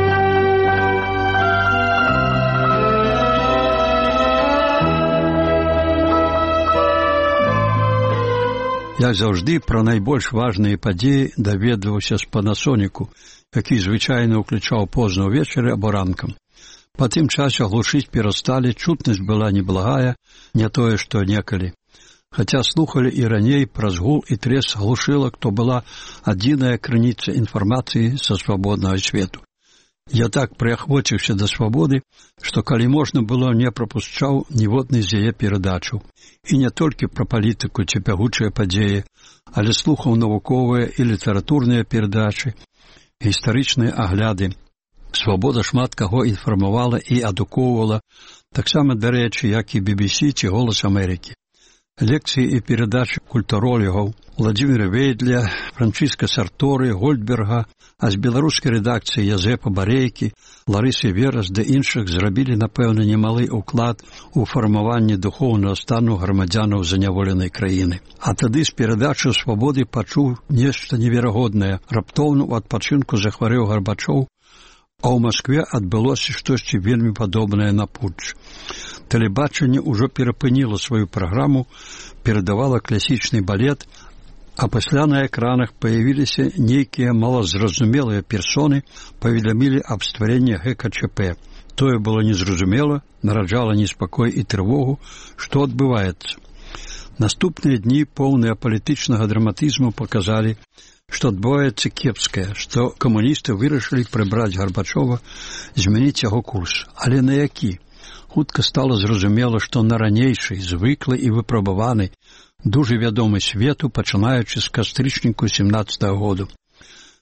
Як заўжды, пра найбольш важныя падзеі даведваўся з Панасоніку, які звычайна ўключаў позна ўвечары або ранкам. Па тым часе глушыць перасталі, чутнасць была неблагая, не тое, што некалі. Хаця слухалі і раней праз гул і трес глушылак, то была адзіная крыніца інфармацыі са свабоднага свету. Я так прыахвоціўся да свабоды, што калі можна было, не прапушчаў ніводнай з яе перадачаў. І не толькі пра палітыку ці бягучыя падзеі, але слухаў навуковыя і літаратурныя перадачы, гістарычныя агляды. Свабода шмат каго інфармавала і адукоўвала, таксама, дарэчы, як і BBC ці Голас Амерыкі. Лекцыі і перадачы культуролігаў Владзіміра Вейдля, Франчыска Сарторы, Гольдберга, а з беларускай рэдакцыі Язэпа Барейкі, Ларысы Верас ды іншых зрабілі, напэўна, немалы ўклад у фармаванне духоўнага стану грамадзянаў заняволенай краіны. А тады з перадачы свабоды пачуў нешта неверагоднае. Раптоўна ў адпачынку захварэў Гарбачоў, а ў Маскве адбылося штосьці вельмі падобнае на путч. Тэлебачанне ўжо перапыніла сваю праграму, перадавала класічны балет, а пасля на экранах паявіліся нейкія малазразумелыя персоны, паведамілі аб стварэнні ГКЧП. Тое было незразумела, нараджала неспакой і трывогу, што адбываецца. Наступныя дні, поўныя палітычнага драматызму, паказалі, што адбываецца кепскае, што камуністы вырашылі прыбраць Гарбачова, змяніць яго курс. Але на які? Хутка стала зразумела, што на ранейшай, звыклай і выпрабаванай, дужа вядомы свету, пачынаючы з кастрычніку 17-го году.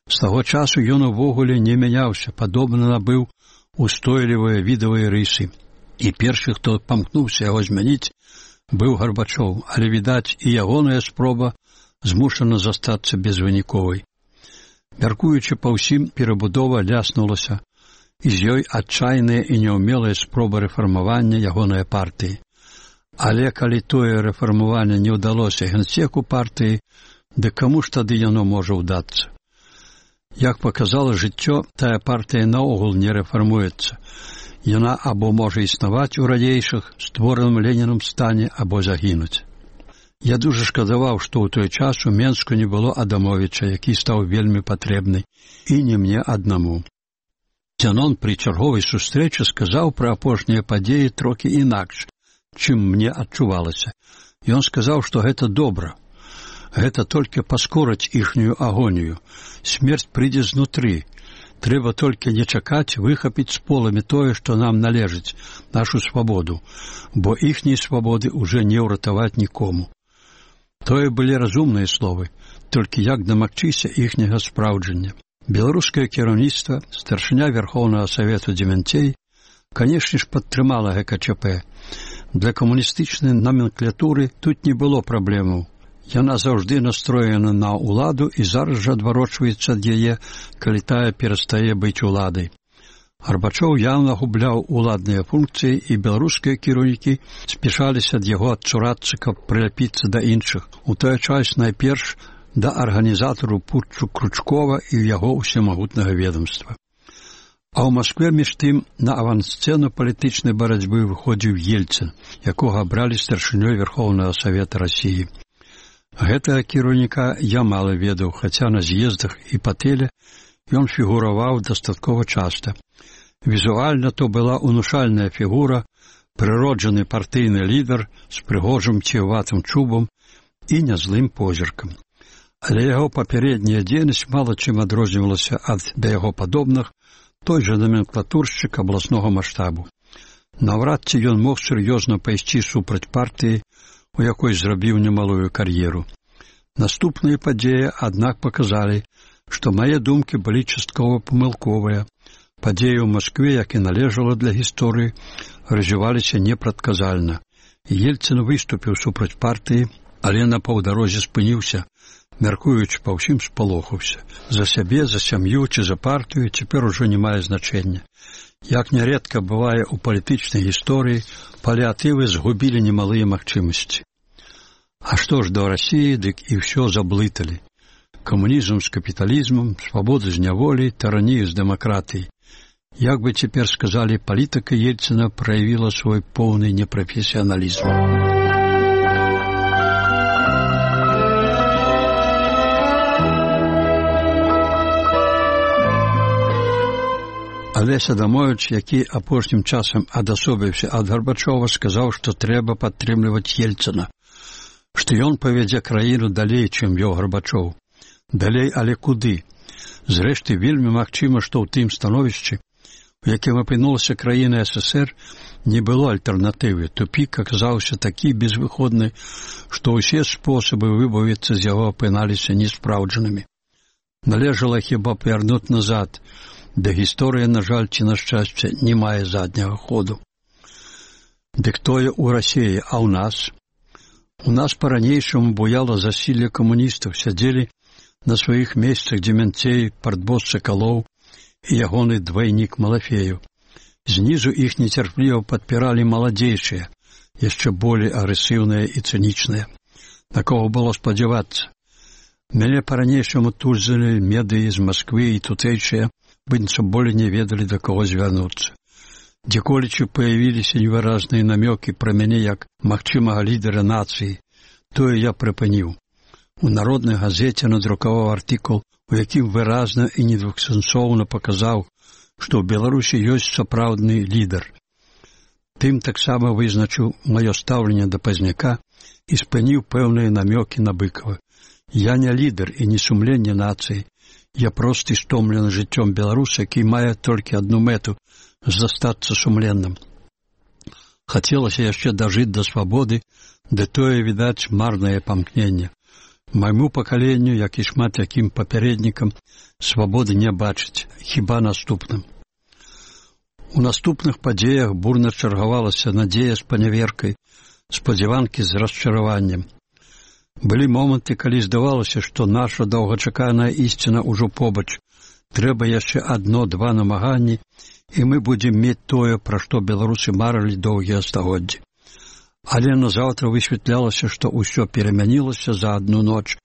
З таго часу ён увогуле не мяняўся, падобна набыў устойлівыя відавыя рысы. І першы, хто памкнуўся яго змяніць, быў Гарбачоў, але, відаць, і ягоная спроба змушана застацца безвыніковай. Мяркуючы па ўсім, перабудова ляснулася, і з ёй адчайная і няўмелая спроба рэфармавання ягонай партыі. Але калі тое рэфармаванне не ўдалося генсеку партыі, дык каму ж тады яно можа ўдацца? Як паказала жыццё, тая партыя наогул не рэфармуецца. Яна або можа існаваць у ранейшых, створаным Ленінам стане, або загінуць. Я дуже шкадаваў, што ў той час у Менску не было Адамовіча, які стаў вельмі патрэбны, і не мне аднаму. Зянон пры чарговай сустрэчы сказаў пра апошнія падзеі трохі інакш, чым мне адчувалася. Ён сказаў, што гэта добра. Гэта толькі паскорыць іхнюю агонію. Смерць прыйдзе знутры. Трэба толькі не чакаць выхапіць з поламі тое, што нам належыць, нашу свабоду, бо іхняй свабоды ўжо не ўратаваць нікому. Тое былі разумныя словы, толькі як дамагчыся іхняга спраўджання. Беларускае кіраўніцтва, старшыня Верхоўнага Савету Дземянцей, канешне ж, падтрымала ГКЧП. Для камуністычнай номенклатуры тут не было праблемаў. Яна заўжды настроена на ўладу і зараз жа адварочваецца ад яе, калі тая перастае быць уладай. Гарбачоў яўна губляў уладныя функцыі, і беларускія кіраўнікі спяшаліся ад яго адцурацца, каб прыляпіцца да іншых. У той час найперш да арганізатару путчу Кручкова і яго ўсемагутнага ведомства. А ў Маскве між тым на авансцэну палітычнай барацьбы выходзіў Ельцын, якога абралі старшынёй Верхоўнага Савета Расіі. Гэтага кіраўніка я мала ведаў, хаця на з'ездах і па тэле ён фігураваў дастаткова часта. Візуальна то была унушальная фігура, прыроджаны партыйны лідар з прыгожым ціватым чубам і нязлым позіркам. Але яго папярэдняя дзейнасць мала чым адрознівалася ад да яго падобных, той жа номенклатуршчык абласнога маштабу. Наўрад ці ён мог сур'ёзна пайсці супраць партыі, у якой зрабіў немалую кар'еру. Наступныя падзеі, аднак, паказалі, што мае думкі былі часткова памылковыя. Падзеі ў Маскве, як і належала для гісторыі, развіваліся непрадказальна. Ельцын выступіў супраць партыі, але на паўдарозе спыніўся, мяркуючы па ўсім спалохаўся. За сябе, за сям'ю ці за партыю цяпер ужо не мае значэння. Як нярэдка бывае ў палітычнай гісторыі, паліатывы згубілі немалыя магчымасці. А што ж да Расіі, дык і ўсё заблыталі. Камунізм з капіталізмам, свабода з няволі, таранію з дэмакратыяй. Як бы цяпер сказалі, палітыка Ельцына праявіла свой поўны непрафесіяналізм. Алесь Адамовіч, які апошнім часам адасобіўся ад Гарбачова, сказаў, што трэба падтрымліваць Ельцына, што ён павядзе краіну далей, чым вёў Гарбачоў. Далей, але куды? Зрэшты, вельмі магчыма, што ў тым становішчы, у якім апынулася краіна СССР, не было альтэрнатывы. Тупік аказаўся такі безвыходны, што ўсе спосабы выбавіцца з яго апыналіся неспраўджанымі. Належала хіба павярнуць назад, да гісторыя, на жаль, ці на шчасце, не мае задняга ходу. Дык тое ў Расіі, а ў нас? У нас па-ранейшаму буяла засілле камуністаў, сядзелі на сваіх месцах Дземянцей, партбос Сакалоў і ягоны двайнік Малафею. Знізу іх нецярпліва падпіралі маладзейшыя, яшчэ болей агрэсіўныя і цынічныя. На кого было спадзявацца? Мяне па-ранейшаму тузалі медыі з Масквы і тутэйшыя, быццам болей не ведалі, да каго звярнуцца. Дзеколечы паявіліся невыразныя намёкі пра мяне як магчымага лідара нацыі. Тое я прыпыніў. У народнай газеце надрукаваў артыкул, у якім выразна і недвухсэнсоўна паказаў, што ў Беларусі ёсць сапраўдны лідар. Тым таксама вызначыў маё стаўленне да Пазняка і спыніў пэўныя намёкі на Быкава. Я не лідар і не сумленне нацыі. Я просты стомлены жыццём беларус, які мае толькі адну мэту – застацца сумленным. Хацелася яшчэ дажыць да свабоды, ды тое, відаць, марнае памкненне. Майму пакаленню, як і шмат якім папярэднікам, свабоды не бачыць, хіба наступным. У наступных падзеях бурна чаргавалася надзея з паняверкай, спадзяванкі з расчараваннем. Былі моманты, калі здавалася, што наша доўгачаканая ісціна ўжо побач. Трэба яшчэ адно-два намаганні, і мы будзем мець тое, пра што беларусы марылі доўгія стагоддзі. Але назаўтра высвятлялася, што ўсё перамянілася за адну ноч,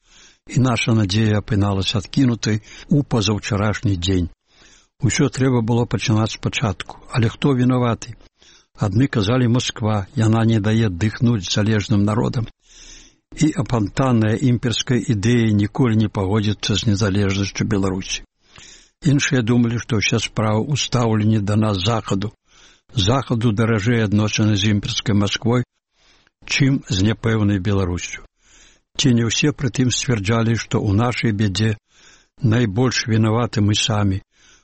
і наша надзея апыналася адкінутай у пазаўчарашні дзень. Усё трэба было пачынаць спачатку. Але хто вінаваты? Адны казалі Масква, яна не дае дыхнуць залежным народам. і апантаныя імперскай ідэі ніколі не пагодзяцца з незалежнасцю Беларусі. Іншыя думалі, што ўся справа ў стаўленні да нас захаду. Захаду даражэй адносіны з імперскай Масквой, чым з няпэўнай Беларусю. Ці не ўсе прытым сцвярджалі, што ў нашай бядзе найбольш вінаваты мы самі,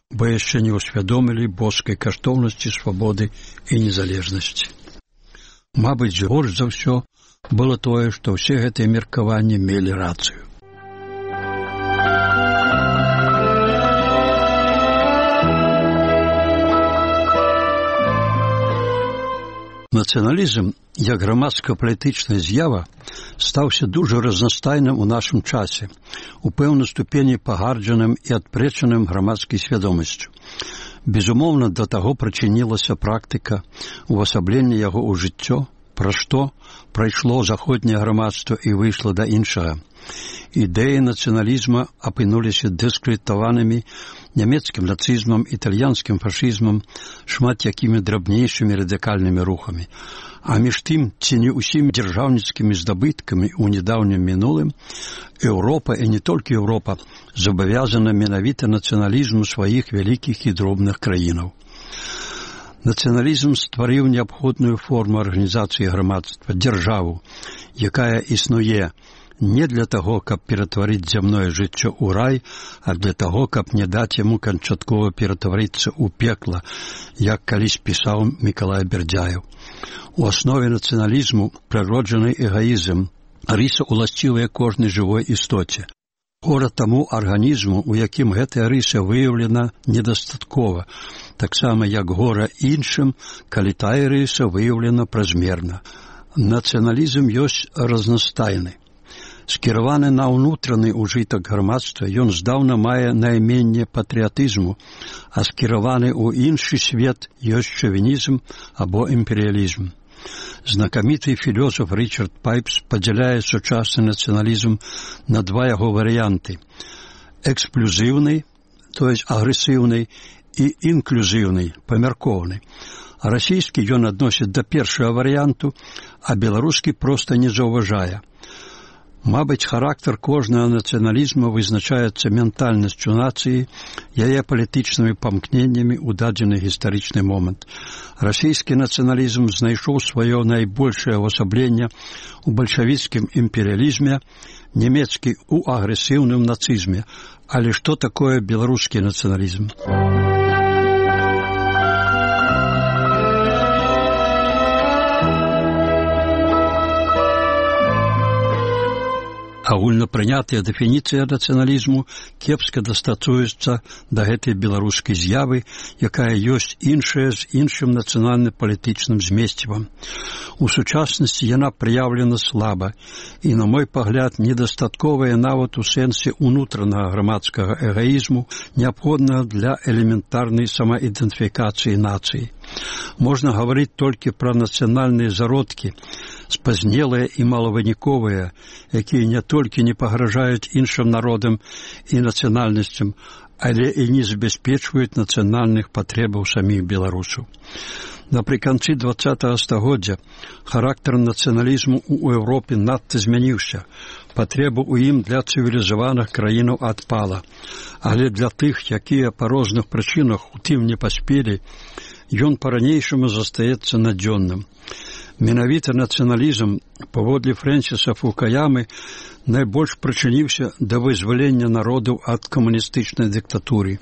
бо яшчэ не ўсвядомілі боскай каштоўнасці свабоды і незалежнасці. Мабыць, горш за ўсё было тое, што ўсе гэтыя меркаванні мелі рацыю. Нацыяналізм, як грамадска-палітычная з'ява, стаўся дужа разнастайным у нашым часе, у пэўнай ступені пагарджаным і адпрэчаным грамадскай свядомасцю. Безумоўна, да таго прычынілася практыка увасаблення яго ў жыццё, пра што прайшло заходняе грамадства і выйшла да іншага. Ідэі нацыяналізма апынуліся дыскрэдытаванымі нямецкім нацызмам, італьянскім фашызмам, шмат якімі драбнейшымі радыкальнымі рухамі. А між тым, ці не ўсімі дзяржаўніцкімі здабыткамі ў нядаўнім мінулым, Еўропа, і не толькі Еўропа, забавязана менавіта нацыяналізму сваіх вялікіх і дробных краінаў. Нацыяналізм стварыў неабходную форму арганізацыі грамадства, дзяржаву, якая існуе не для таго, каб ператварыць зямное жыццё ў рай, а для таго, каб не даць яму канчаткова ператварыцца ў пекла, як калісь пісаў Мікалай Бердзяеў. У аснове нацыяналізму прыроджаны эгаізм, рыса уласцівая кожнай жывой істоце. Гора таму арганізму, у якім гэтая рыса выяўлена недастаткова, таксама як гора іншым, калі тая рыса выяўлена празмерна. Нацыяналізм ёсць разнастайны. Скіраваны на ўнутраны ўжытак грамадства, ён здаўна мае найменне патрыятызму, а скіраваны ў іншы свет ёсць шавінізм або імперыялізм. Знакаміты філёсаф Річард Пайпс падзяляе сучасны нацыяналізм на два яго варыянты: эксплюзіўны, то есть агрэсіўны, і інклюзіўны, памяркоўны. А расійскі ён адносіць да першага варыянту, а беларускі проста не заўважае. Мабыць, характар кожнага нацыяналізма вызначаецца ментальнасцю нацыі, яе палітычнымі памкненнямі ў дадзены гістарычны момант. Расійскі нацыяналізм знайшоў сваё найбольшае ўвасабленне ў бальшавіцкім імперыялізме, нямецкі ў агрэсіўным нацызме. Але што такое беларускі нацыяналізм? Агульнапрынятая дэфініцыя нацыяналізму кепска дастасуецца да гэтай беларускай з'явы, якая ёсць іншая з іншым нацыянальна-палітычным змесцівам. У сучаснасці яна праяўлена слаба і, на мой пагляд, недастатковая нават у сэнсе ўнутранага грамадскага эгаізму, неабходнага для элементарнай самаідэнтыфікацыі нацыі. Можна гаварыць толькі пра нацыянальныя зародкі, спазнелыя і малавыніковыя, якія не толькі не пагражаюць іншым народам і нацыянальнасцям, але і не забяспечваюць нацыянальных патрэбаў саміх беларусаў. Напрыканцы 20-го стагоддзя характар нацыяналізму ў Еўропе надта змяніўся. Патрэба ў ім для цывілізаваных краінаў адпала. Але для тых, якія па розных прычынах у тым не паспелі, ён па-ранейшаму застаецца надзённым. Менавіта нацыяналізм, паводле Фрэнсіса Фукуямы, найбольш прычыніўся да вызвалення народаў ад камуністычнай дыктатуры.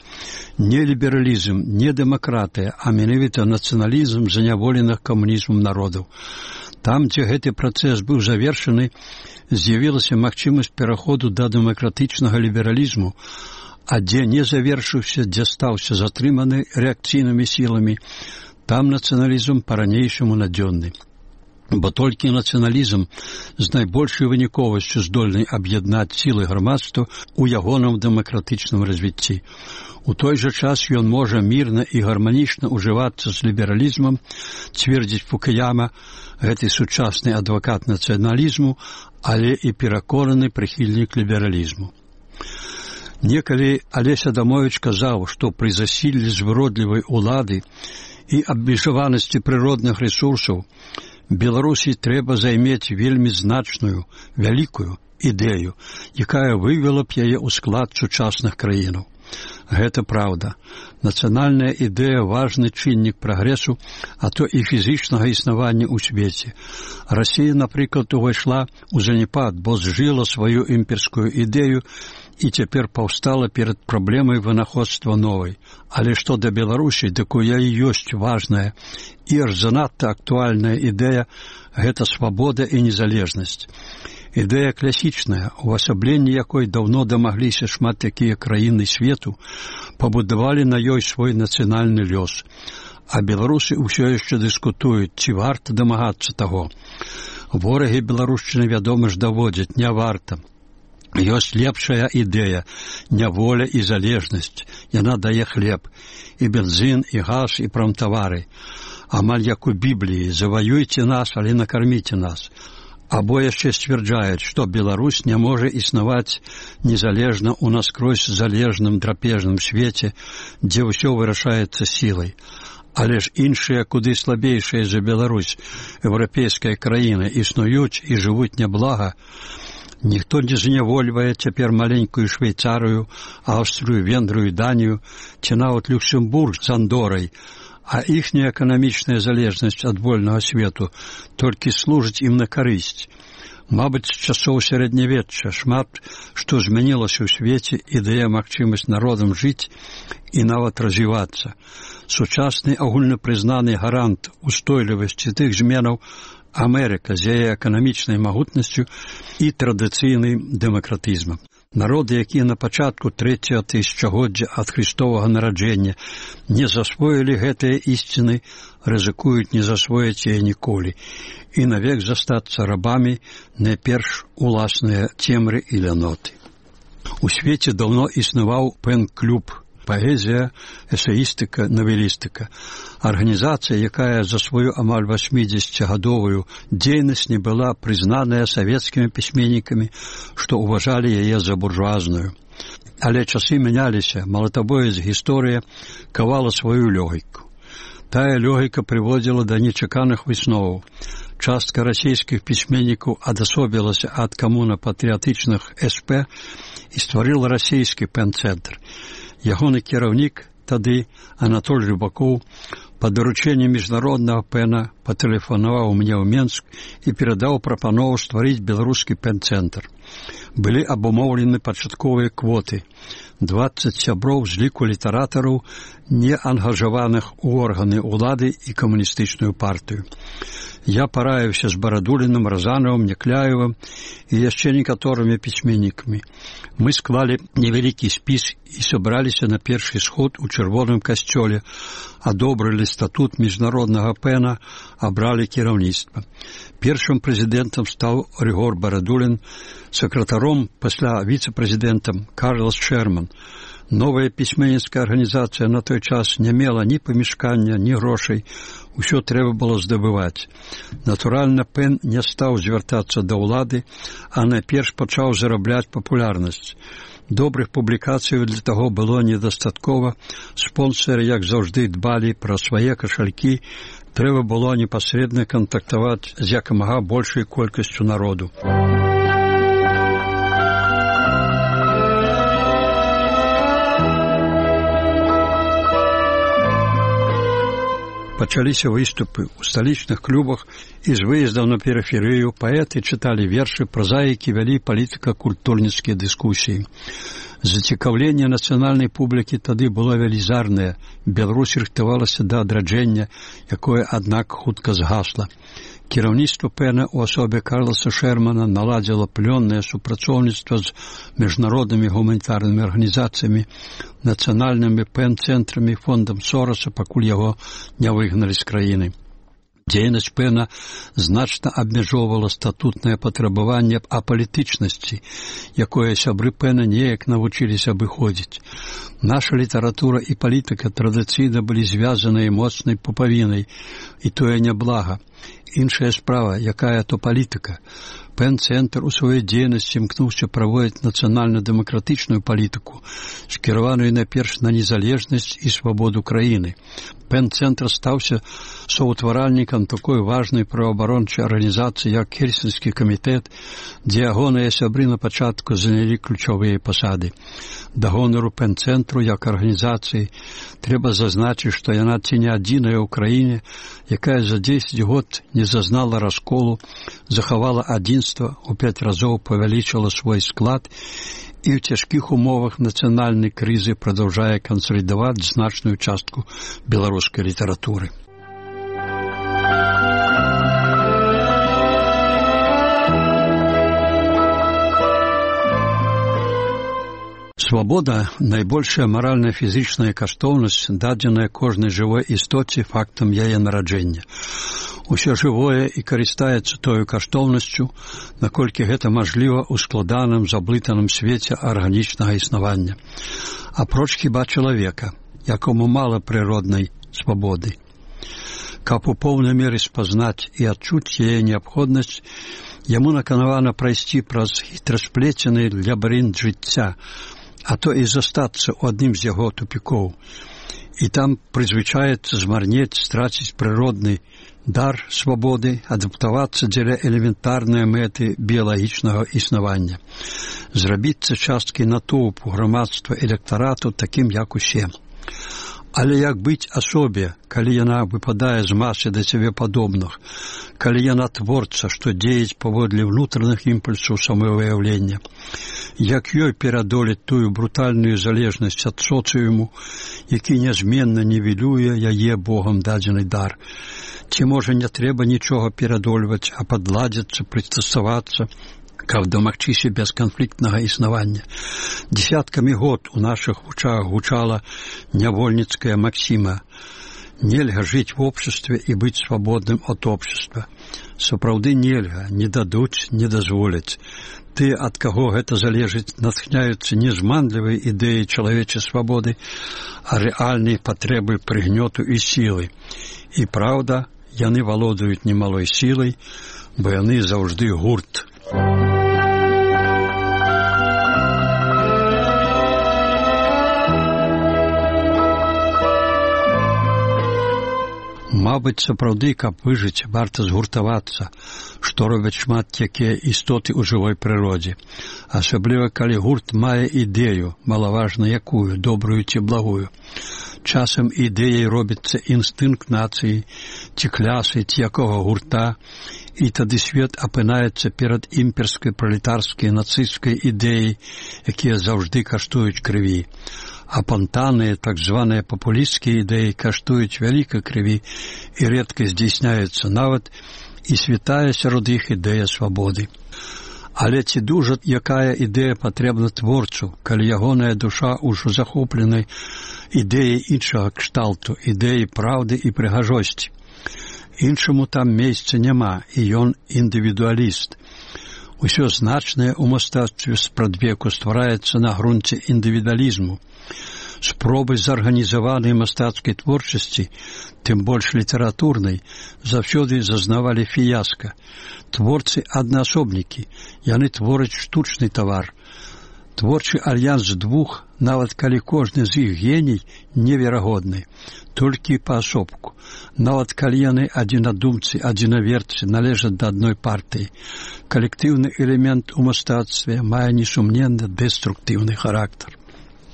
Не лібералізм, не дэмакратыя, а менавіта нацыяналізм заняволеных камунізмам народаў. Там, дзе гэты працэс быў завершаны, з'явілася магчымасць пераходу да дэмакратычнага лібералізму, а дзе не завершыўся, дзе стаўся затрыманы рэакцыйнымі сіламі, там нацыяналізм па-ранейшаму надзённы. Бо толькі нацыяналізм з найбольшай выніковасцю здольны аб'яднаць сілы грамадства ў ягоным дэмакратычным развіцці. У той жа час ён можа мірна і гарманічна ўжывацца з лібералізмам, цвердзіць Фукуяма, гэты сучасны адвакат нацыяналізму, але і пераконаны прыхільнік лібералізму. Некалі Алесь Адамовіч казаў, што пры засіллі звыродлівай улады і абмежаванасці прыродных рэсурсаў Беларусі трэба займець вельмі значную, вялікую ідэю, якая вывела б яе ў склад сучасных краінаў. Гэта праўда. Нацыянальная ідэя – важны чыннік прагрэсу, а то і фізічнага існавання ў свеце. Расія, напрыклад, увайшла ў заняпад, бо зжыла сваю імперскую ідэю і цяпер паўстала перад праблемай вынаходства новай. Але што да Беларусі, дык у яе ёсць важная і аж занадта актуальная ідэя – гэта свабода і незалежнасць. Ідэя класічная, увасабленне якой даўно дамагліся шмат такія краіны свету, пабудавалі на ёй свой нацыянальны лёс. А беларусы ўсё яшчэ дыскутуюць, ці варта дамагацца таго. Ворагі беларушчыны, вядома ж, даводзяць, не варта. Ёсць лепшая ідэя – няволя і залежнасць. Яна дае хлеб, і бензін, і газ, і прамтавары. Амаль як у Бібліі – заваюйце нас, але накарміце нас. Або яшчэ сцвярджаюць, што Беларусь не можа існаваць незалежна ў наскрозь залежным драпежным свеце, дзе ўсё вырашаецца сілай. Але ж іншыя, куды слабейшыя за Беларусь, еўрапейская краіна, існуюць і жывуць няблага. Ніхто не знявольвае цяпер маленькую Швейцарыю, Аўстрыю, Венгрыю, Данію, ці нават Люксембург з Андорай, а іхняя эканамічная залежнасць ад вольнага свету толькі служыць ім на карысць. Мабыць, з часоў сярэднявечча шмат што змянілася ў свеце і дае магчымасць народам жыць і нават развівацца. Сучасны агульнапрызнаны гарант устойлівасці тых зменаў Амерыка з яе эканамічнай магутнасцю і традыцыйным дэмакратызмам. Народы, якія на пачатку 3-го тысячагоддзя ад Христовага нараджэння не засвоілі гэтыя ісціны, рызыкуюць не засвоіць яе ніколі і навек застацца рабамі найперш уласныя цемры і ляноты. У свеце даўно існаваў пэн-клуб, паэзія, эсеістыка, навелістыка. Арганізацыя, якая за сваю амаль 80-гадовую дзейнасць не была прызнаная савецкімі пісьменнікамі, што ўважалі яе за буржуазную. Але часы мяняліся, малатабоец гісторыя кавала сваю лёгіку. Тая лёгіка прыводзіла да нечаканых высноваў. Частка расійскіх пісьменнікаў адасобілася ад камуна-патрыятычных СП і стварыла расійскі пэн-цэнтр. Ягоны кіраўнік тады, Анатоль Рыбакоў, па даручэнні міжнароднага пэна патэлефанаваў мне ў Менск і перадаў прапанову стварыць беларускі пэн-цэнтр. Былі абумоўлены пачатковыя квоты. 20 сяброў з ліку літаратараў, не ангажаваных у органы ўлады і камуністычную партыю. Я параіўся з Барадуліным, Разанавым, Някляевым і яшчэ некаторымі пісьменнікамі. Мы склалі невялікі спіс і сабраліся на першы сход у Чырвоным касцёле, адобрылі статут міжнароднага пэна, абралі кіраўніцтва. Першым прэзідэнтам стаў Рыгор Барадулін, сакратаром, пасля віцэ-прэзідэнтам Карлас Шерман. Новая пісьменніцкая арганізацыя на той час не мела ні памяшкання, ні грошай. Усё трэба было здабываць. Натуральна, пэн не стаў звяртацца да ўлады, а найперш пачаў зарабляць папулярнасць. Добрых публікацый для таго было недастаткова. Спонсары, як заўжды, дбалі пра свае кашалькі. Трэба было непасрэдна кантактаваць з якамага большай колькасцю народу. Пачаліся выступы ў сталічных клубах і з выездаў на перыферыю паэты чыталі вершы, празаікі вялі палітыка-культурніцкія дыскусіі. Зацікаўленне нацыянальнай публікі тады было велізарнае. Беларусь рыхтавалася да адраджэння, якое, аднак, хутка згасла. Кіраўніцтва пэна ў асобе Карласа Шермана наладзіла плённае супрацоўніцтва з міжнароднымі гуманітарнымі арганізацыямі, нацыянальнымі пэн-цэнтрамі, фондам Сороса, пакуль яго не выгналі з краіны. Дзейнасць пэна значна абмяжоўвала статутнае патрабаванне апалітычнасці, якое сябры пэна неяк навучыліся абыходзіць. Наша літаратура і палітыка традыцыйна былі звязаныя моцнай пупавінай, і тое няблага. Іншая справа, якая то палітыка. Пен-цэнтр у сваёй дзейнасці імкнуўся праводзіць нацыянальна-дэмакратычную палітыку, скіраваную найперш на незалежнасць і свабоду краіны. Пен-цэнтр стаўся соўтваральнікам такой важнай праваабарончай арганізацыі, як Хельсінскі камітэт, дзе ягоныя сябры на пачатку занялі ключовыя пасады. Да гонару Пен-цэнтру як арганізацыі трэба зазначыць, што яна ці не адзіная ў краіне, якая за 10 год не зазнала расколу, захавала адзінства, у 5 разоў павялічыла свой склад і ў цяжкіх умовах нацыянальнай крызы прадаўжае кансалідаваць значную частку беларускай літаратуры. Свабода – найбольшая маральна-фізічная каштоўнасць, дадзеная кожнай жывой істоце фактам яе нараджэння. Усё жывое і карыстаецца тою каштоўнасцю, наколькі гэта мажліва ў складаным, заблытаным свеце арганічнага існавання. Апроч хіба чалавека, якому мала прыроднай свабоды. Каб у поўнай меры спазнаць і адчуць яе неабходнасць, яму наканавана прайсці праз хітрасплецены лабірынт жыцця, а то і застацца ў адным з яго тупікоў. І там прызвычаецца змарнець, страціць прыродны дар свабоды, адаптавацца дзеля элементарнай мэты біялагічнага існавання, зрабіцца часткай натоўпу грамадства электарату такім, як усе. Але як быць асобе, калі яна выпадае з масы да сябе падобных, калі яна творца, што дзеяць паводле ўнутраных імпульсаў самавыяўлення? Як ёй перадолець тую брутальную залежнасць ад соцыуму, які нязменна нівелюе яе Богам дадзены дар? Ці, можа, не трэба нічога перадольваць, а падладзіцца, прыстасавацца, каб дамагчыся бесканфліктнага існавання? Дзесяткамі год у нашых вучах гучала нявольніцкая максіма: нельга жыць в обществе і быць свабодным ад общества. Сапраўды нельга, не дадуць, не дазволяць. Тыя, ад каго гэта залежыць, натхняюцца не зманлівай ідэяй чалавечай свабоды, а рэальнай патрэбы прыгнёту і сілы. І праўда, яны валодаюць немалой сілай, бо яны заўжды гурт. Мабыць, сапраўды, каб выжыць, варта згуртавацца, што робяць шмат якія істоты ў жывой прыродзе. Асабліва, калі гурт мае ідэю, малаважна якую, добрую ці благую. Часам ідэяй робіцца інстынкт нацыі, ці клясы, ці якога гурта, і тады свет апынаецца перад імперскай, пралетарскай, нацысцкай ідэяй, якія заўжды каштуюць крыві. Апантаныя, так званыя папулісцкія ідэі каштуюць вялікай крыві і рэдка здзейсняюцца нават і святая сярод іх ідэя свабоды. Але ці дужа якая ідэя патрэбна творцу, калі ягоная душа ўжо захопленай ідэяй іншага кшталту, ідэяй праўды і прыгажосці? Іншаму там месца няма, і ён індывідуаліст. Усё значнае ў мастацтве спрадвеку ствараецца на грунце індывідуалізму. Спробы зарганізаванай мастацкай творчасці, тым больш літаратурнай, заўсёды зазнавалі фіяска. Творцы аднаасобнікі, яны твораць штучны тавар. Творчы альянс двух, нават калі кожны з іх геній, неверагодны, толькі паасобку. Нават калі яны адзінадумцы, адзінаверцы, належаць да адной партыі. Калектыўны элемент у мастацтве мае несумненна дэструктыўны характар.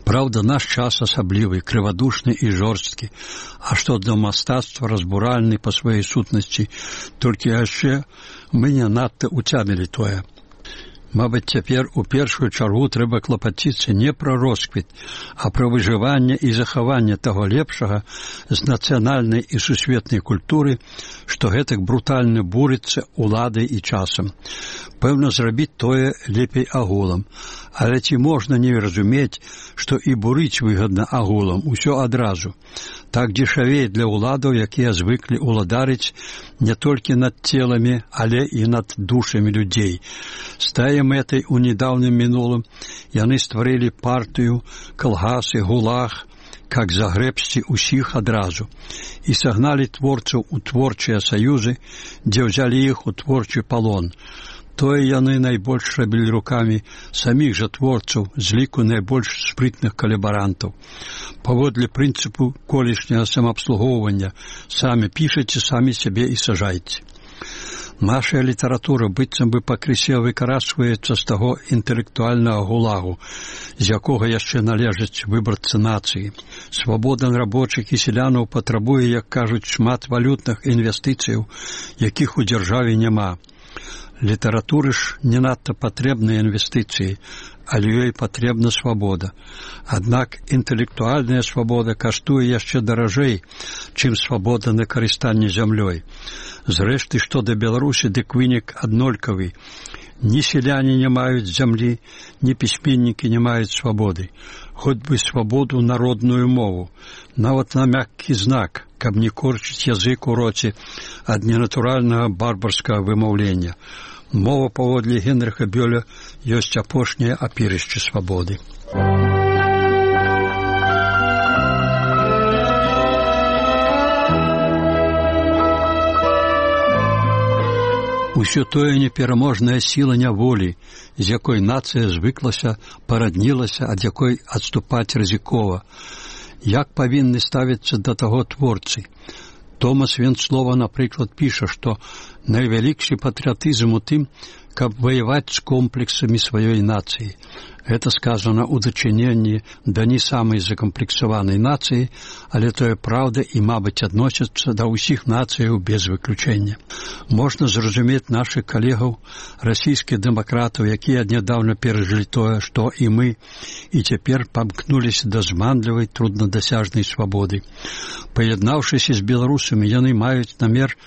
Праўда, наш час асаблівы, крывадушны і жорсткі, а што для мастацтва разбуральны па сваёй сутнасці, толькі яшчэ мы не надта уцямілі тое. Мабыць, цяпер у першую чаргу трэба клапаціцца не пра росквіт, а пра выжыванне і захаванне таго лепшага з нацыянальнай і сусветнай культуры, што гэтак брутальна бурыцца уладай і часам. Пэўна, зрабіць тое лепей агулам. Але ці можна не разумець, што і бурыць выгадна агулам, усё адразу. Так дзешавей для ўладаў, якія звыклі ўладарыць не толькі над целамі, але і над душамі людзей. З тае мэтай у недаўнім мінулым яны стварылі партыю, калгасы, гулаг, как загрэбсці ўсіх адразу, і сагналі творцаў у творчыя саюзы, дзе ўзялі іх у творчы палон. Тое яны найбольш рабілі рукамі саміх жа творцаў з ліку найбольш спрытных калабарантаў. Паводле прынцыпу колішняга самаабслугоўвання самі пішаце, самі сябе і сажайце. Наша літаратура быццам бы пакрысе выкарачваецца з таго інтэлектуальнага гулагу, з якога яшчэ належаць выбарцы нацыі. Свабода рабочых і селянаў патрабуе, як кажуць, шмат валютных інвестыцыяў, якіх у дзяржаве няма. Літаратуры ж не надта патрэбныя інвестыцыі, але ёй патрэбна свабода. Аднак інтэлектуальная свабода каштуе яшчэ даражэй, чым свабода на карыстанне зямлёй. Зрэшты, што да Беларусі, дык вынік аднолькавы. Ні селяне не маюць зямлі, ні пісьменнікі не маюць свабоды. Хоць бы свабоду народную мову, нават на мяккі знак, каб не корчыць язык у роце ад ненатуральнага барбарскага вымаўлення. Мова, паводле Генрыха Бёля, ёсць апошняе апірышча свабоды. Усё тое непераможная сіла няволі, з якой нацыя звыклася, параднілася, ад якой адступаць рызыкова. Як павінны ставіцца да таго творцы? Томас Венцлова, напрыклад, піша, што найвялікшы патрыятызм у тым, каб ваяваць з комплексамі сваёй нацыі. Гэта сказана ў дачыненні да не самай закамплексаванай нацыі, але тое праўда і, мабыць, адносіцца да ўсіх нацыяў без выключэння. Можна зразумець нашых калегаў, расійскіх дэмакратаў, якія нядаўна перажылі тое, што і мы, і цяпер памкнуліся да зманлівай, труднадасяжнай свабоды. Паяднаўшыся з беларусамі, яны маюць намер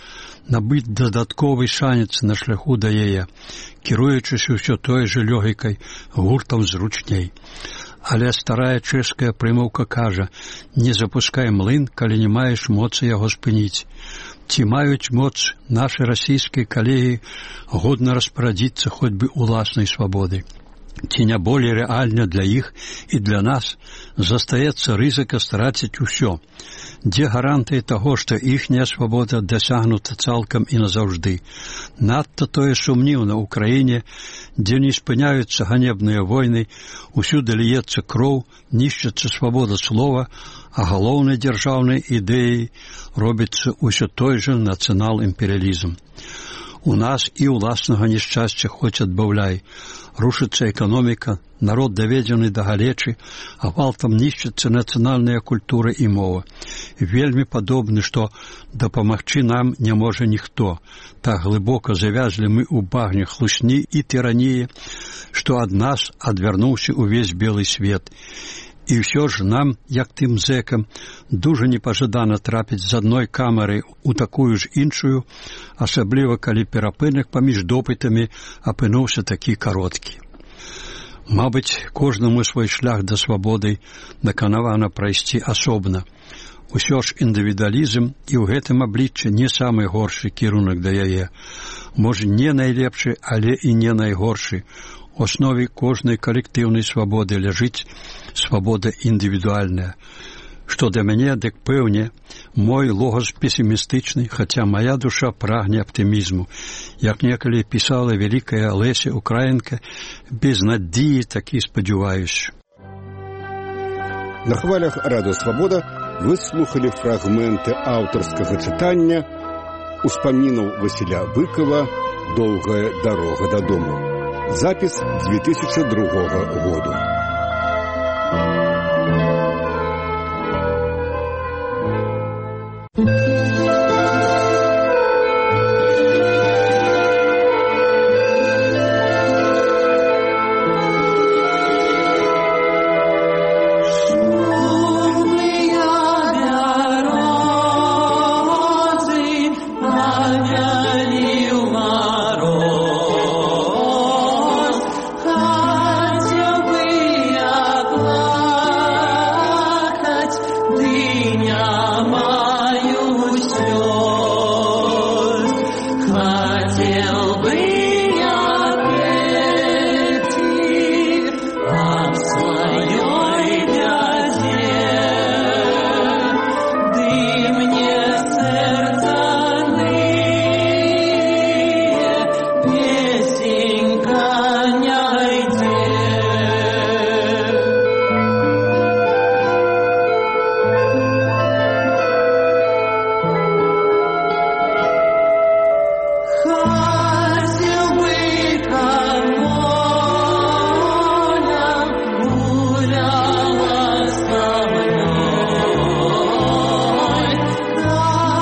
набыць дадатковы шанец на шляху да яе, кіруючыся ўсё той жа лёгікай, гуртам зручней. Але старая чэшская прымаўка кажа: не запускай млын, калі не маеш моцы яго спыніць. Ці маюць моц нашы расійскія калегі годна распарадзіцца хоць бы уласнай свабодай? Ці не болей рэальна для іх і для нас застаецца рызыка страціць усё? Дзе гарантыі таго, што іхняя свабода дасягнута цалкам і назаўжды? Надта тое сумніўна ў краіне, дзе не спыняюцца ганебныя войны, усюды ліецца кроў, нішчыцца свабода слова, а галоўнай дзяржаўнай ідэяй робіцца ўсё той жа нацыянал-імперыялізм. У нас і ўласнага няшчасця хоць адбаўляй. Рушыцца эканоміка, народ даведзены да галечы, а гвалтам нішчыцца нацыянальная культура і мова. Вельмі падобны, што дапамагчы нам не можа ніхто. Так глыбока завязлі мы ў багне хлусні і тыраніі, што ад нас адвярнуўся увесь белы свет. І ўсё ж нам, як тым зэкам, дужа непажадана трапіць з адной камеры ў такую ж іншую, асабліва калі перапынак паміж допытамі апынуўся такі кароткі. Мабыць, кожнаму свой шлях да свабоды наканавана прайсці асобна. Усё ж індывідуалізм і ў гэтым абліччы не самы горшы кірунак да яе. Можа, не найлепшы, але і не найгоршы. У аснове кожнай калектыўнай свабоды ляжыць свабода індывідуальная. Што да мяне, дык пэўне, мой логас песімістычны, хаця мая душа прагне аптымізму. Як некалі пісала вялікая Леся Украінка, без надзеі такі спадзяваюся. На хвалях Радыё Свабода вы слухали фрагменты аўтарскага чытання успамінаў Васіля Быкова «Доўгая дарога дадому». Запіс 2002 году.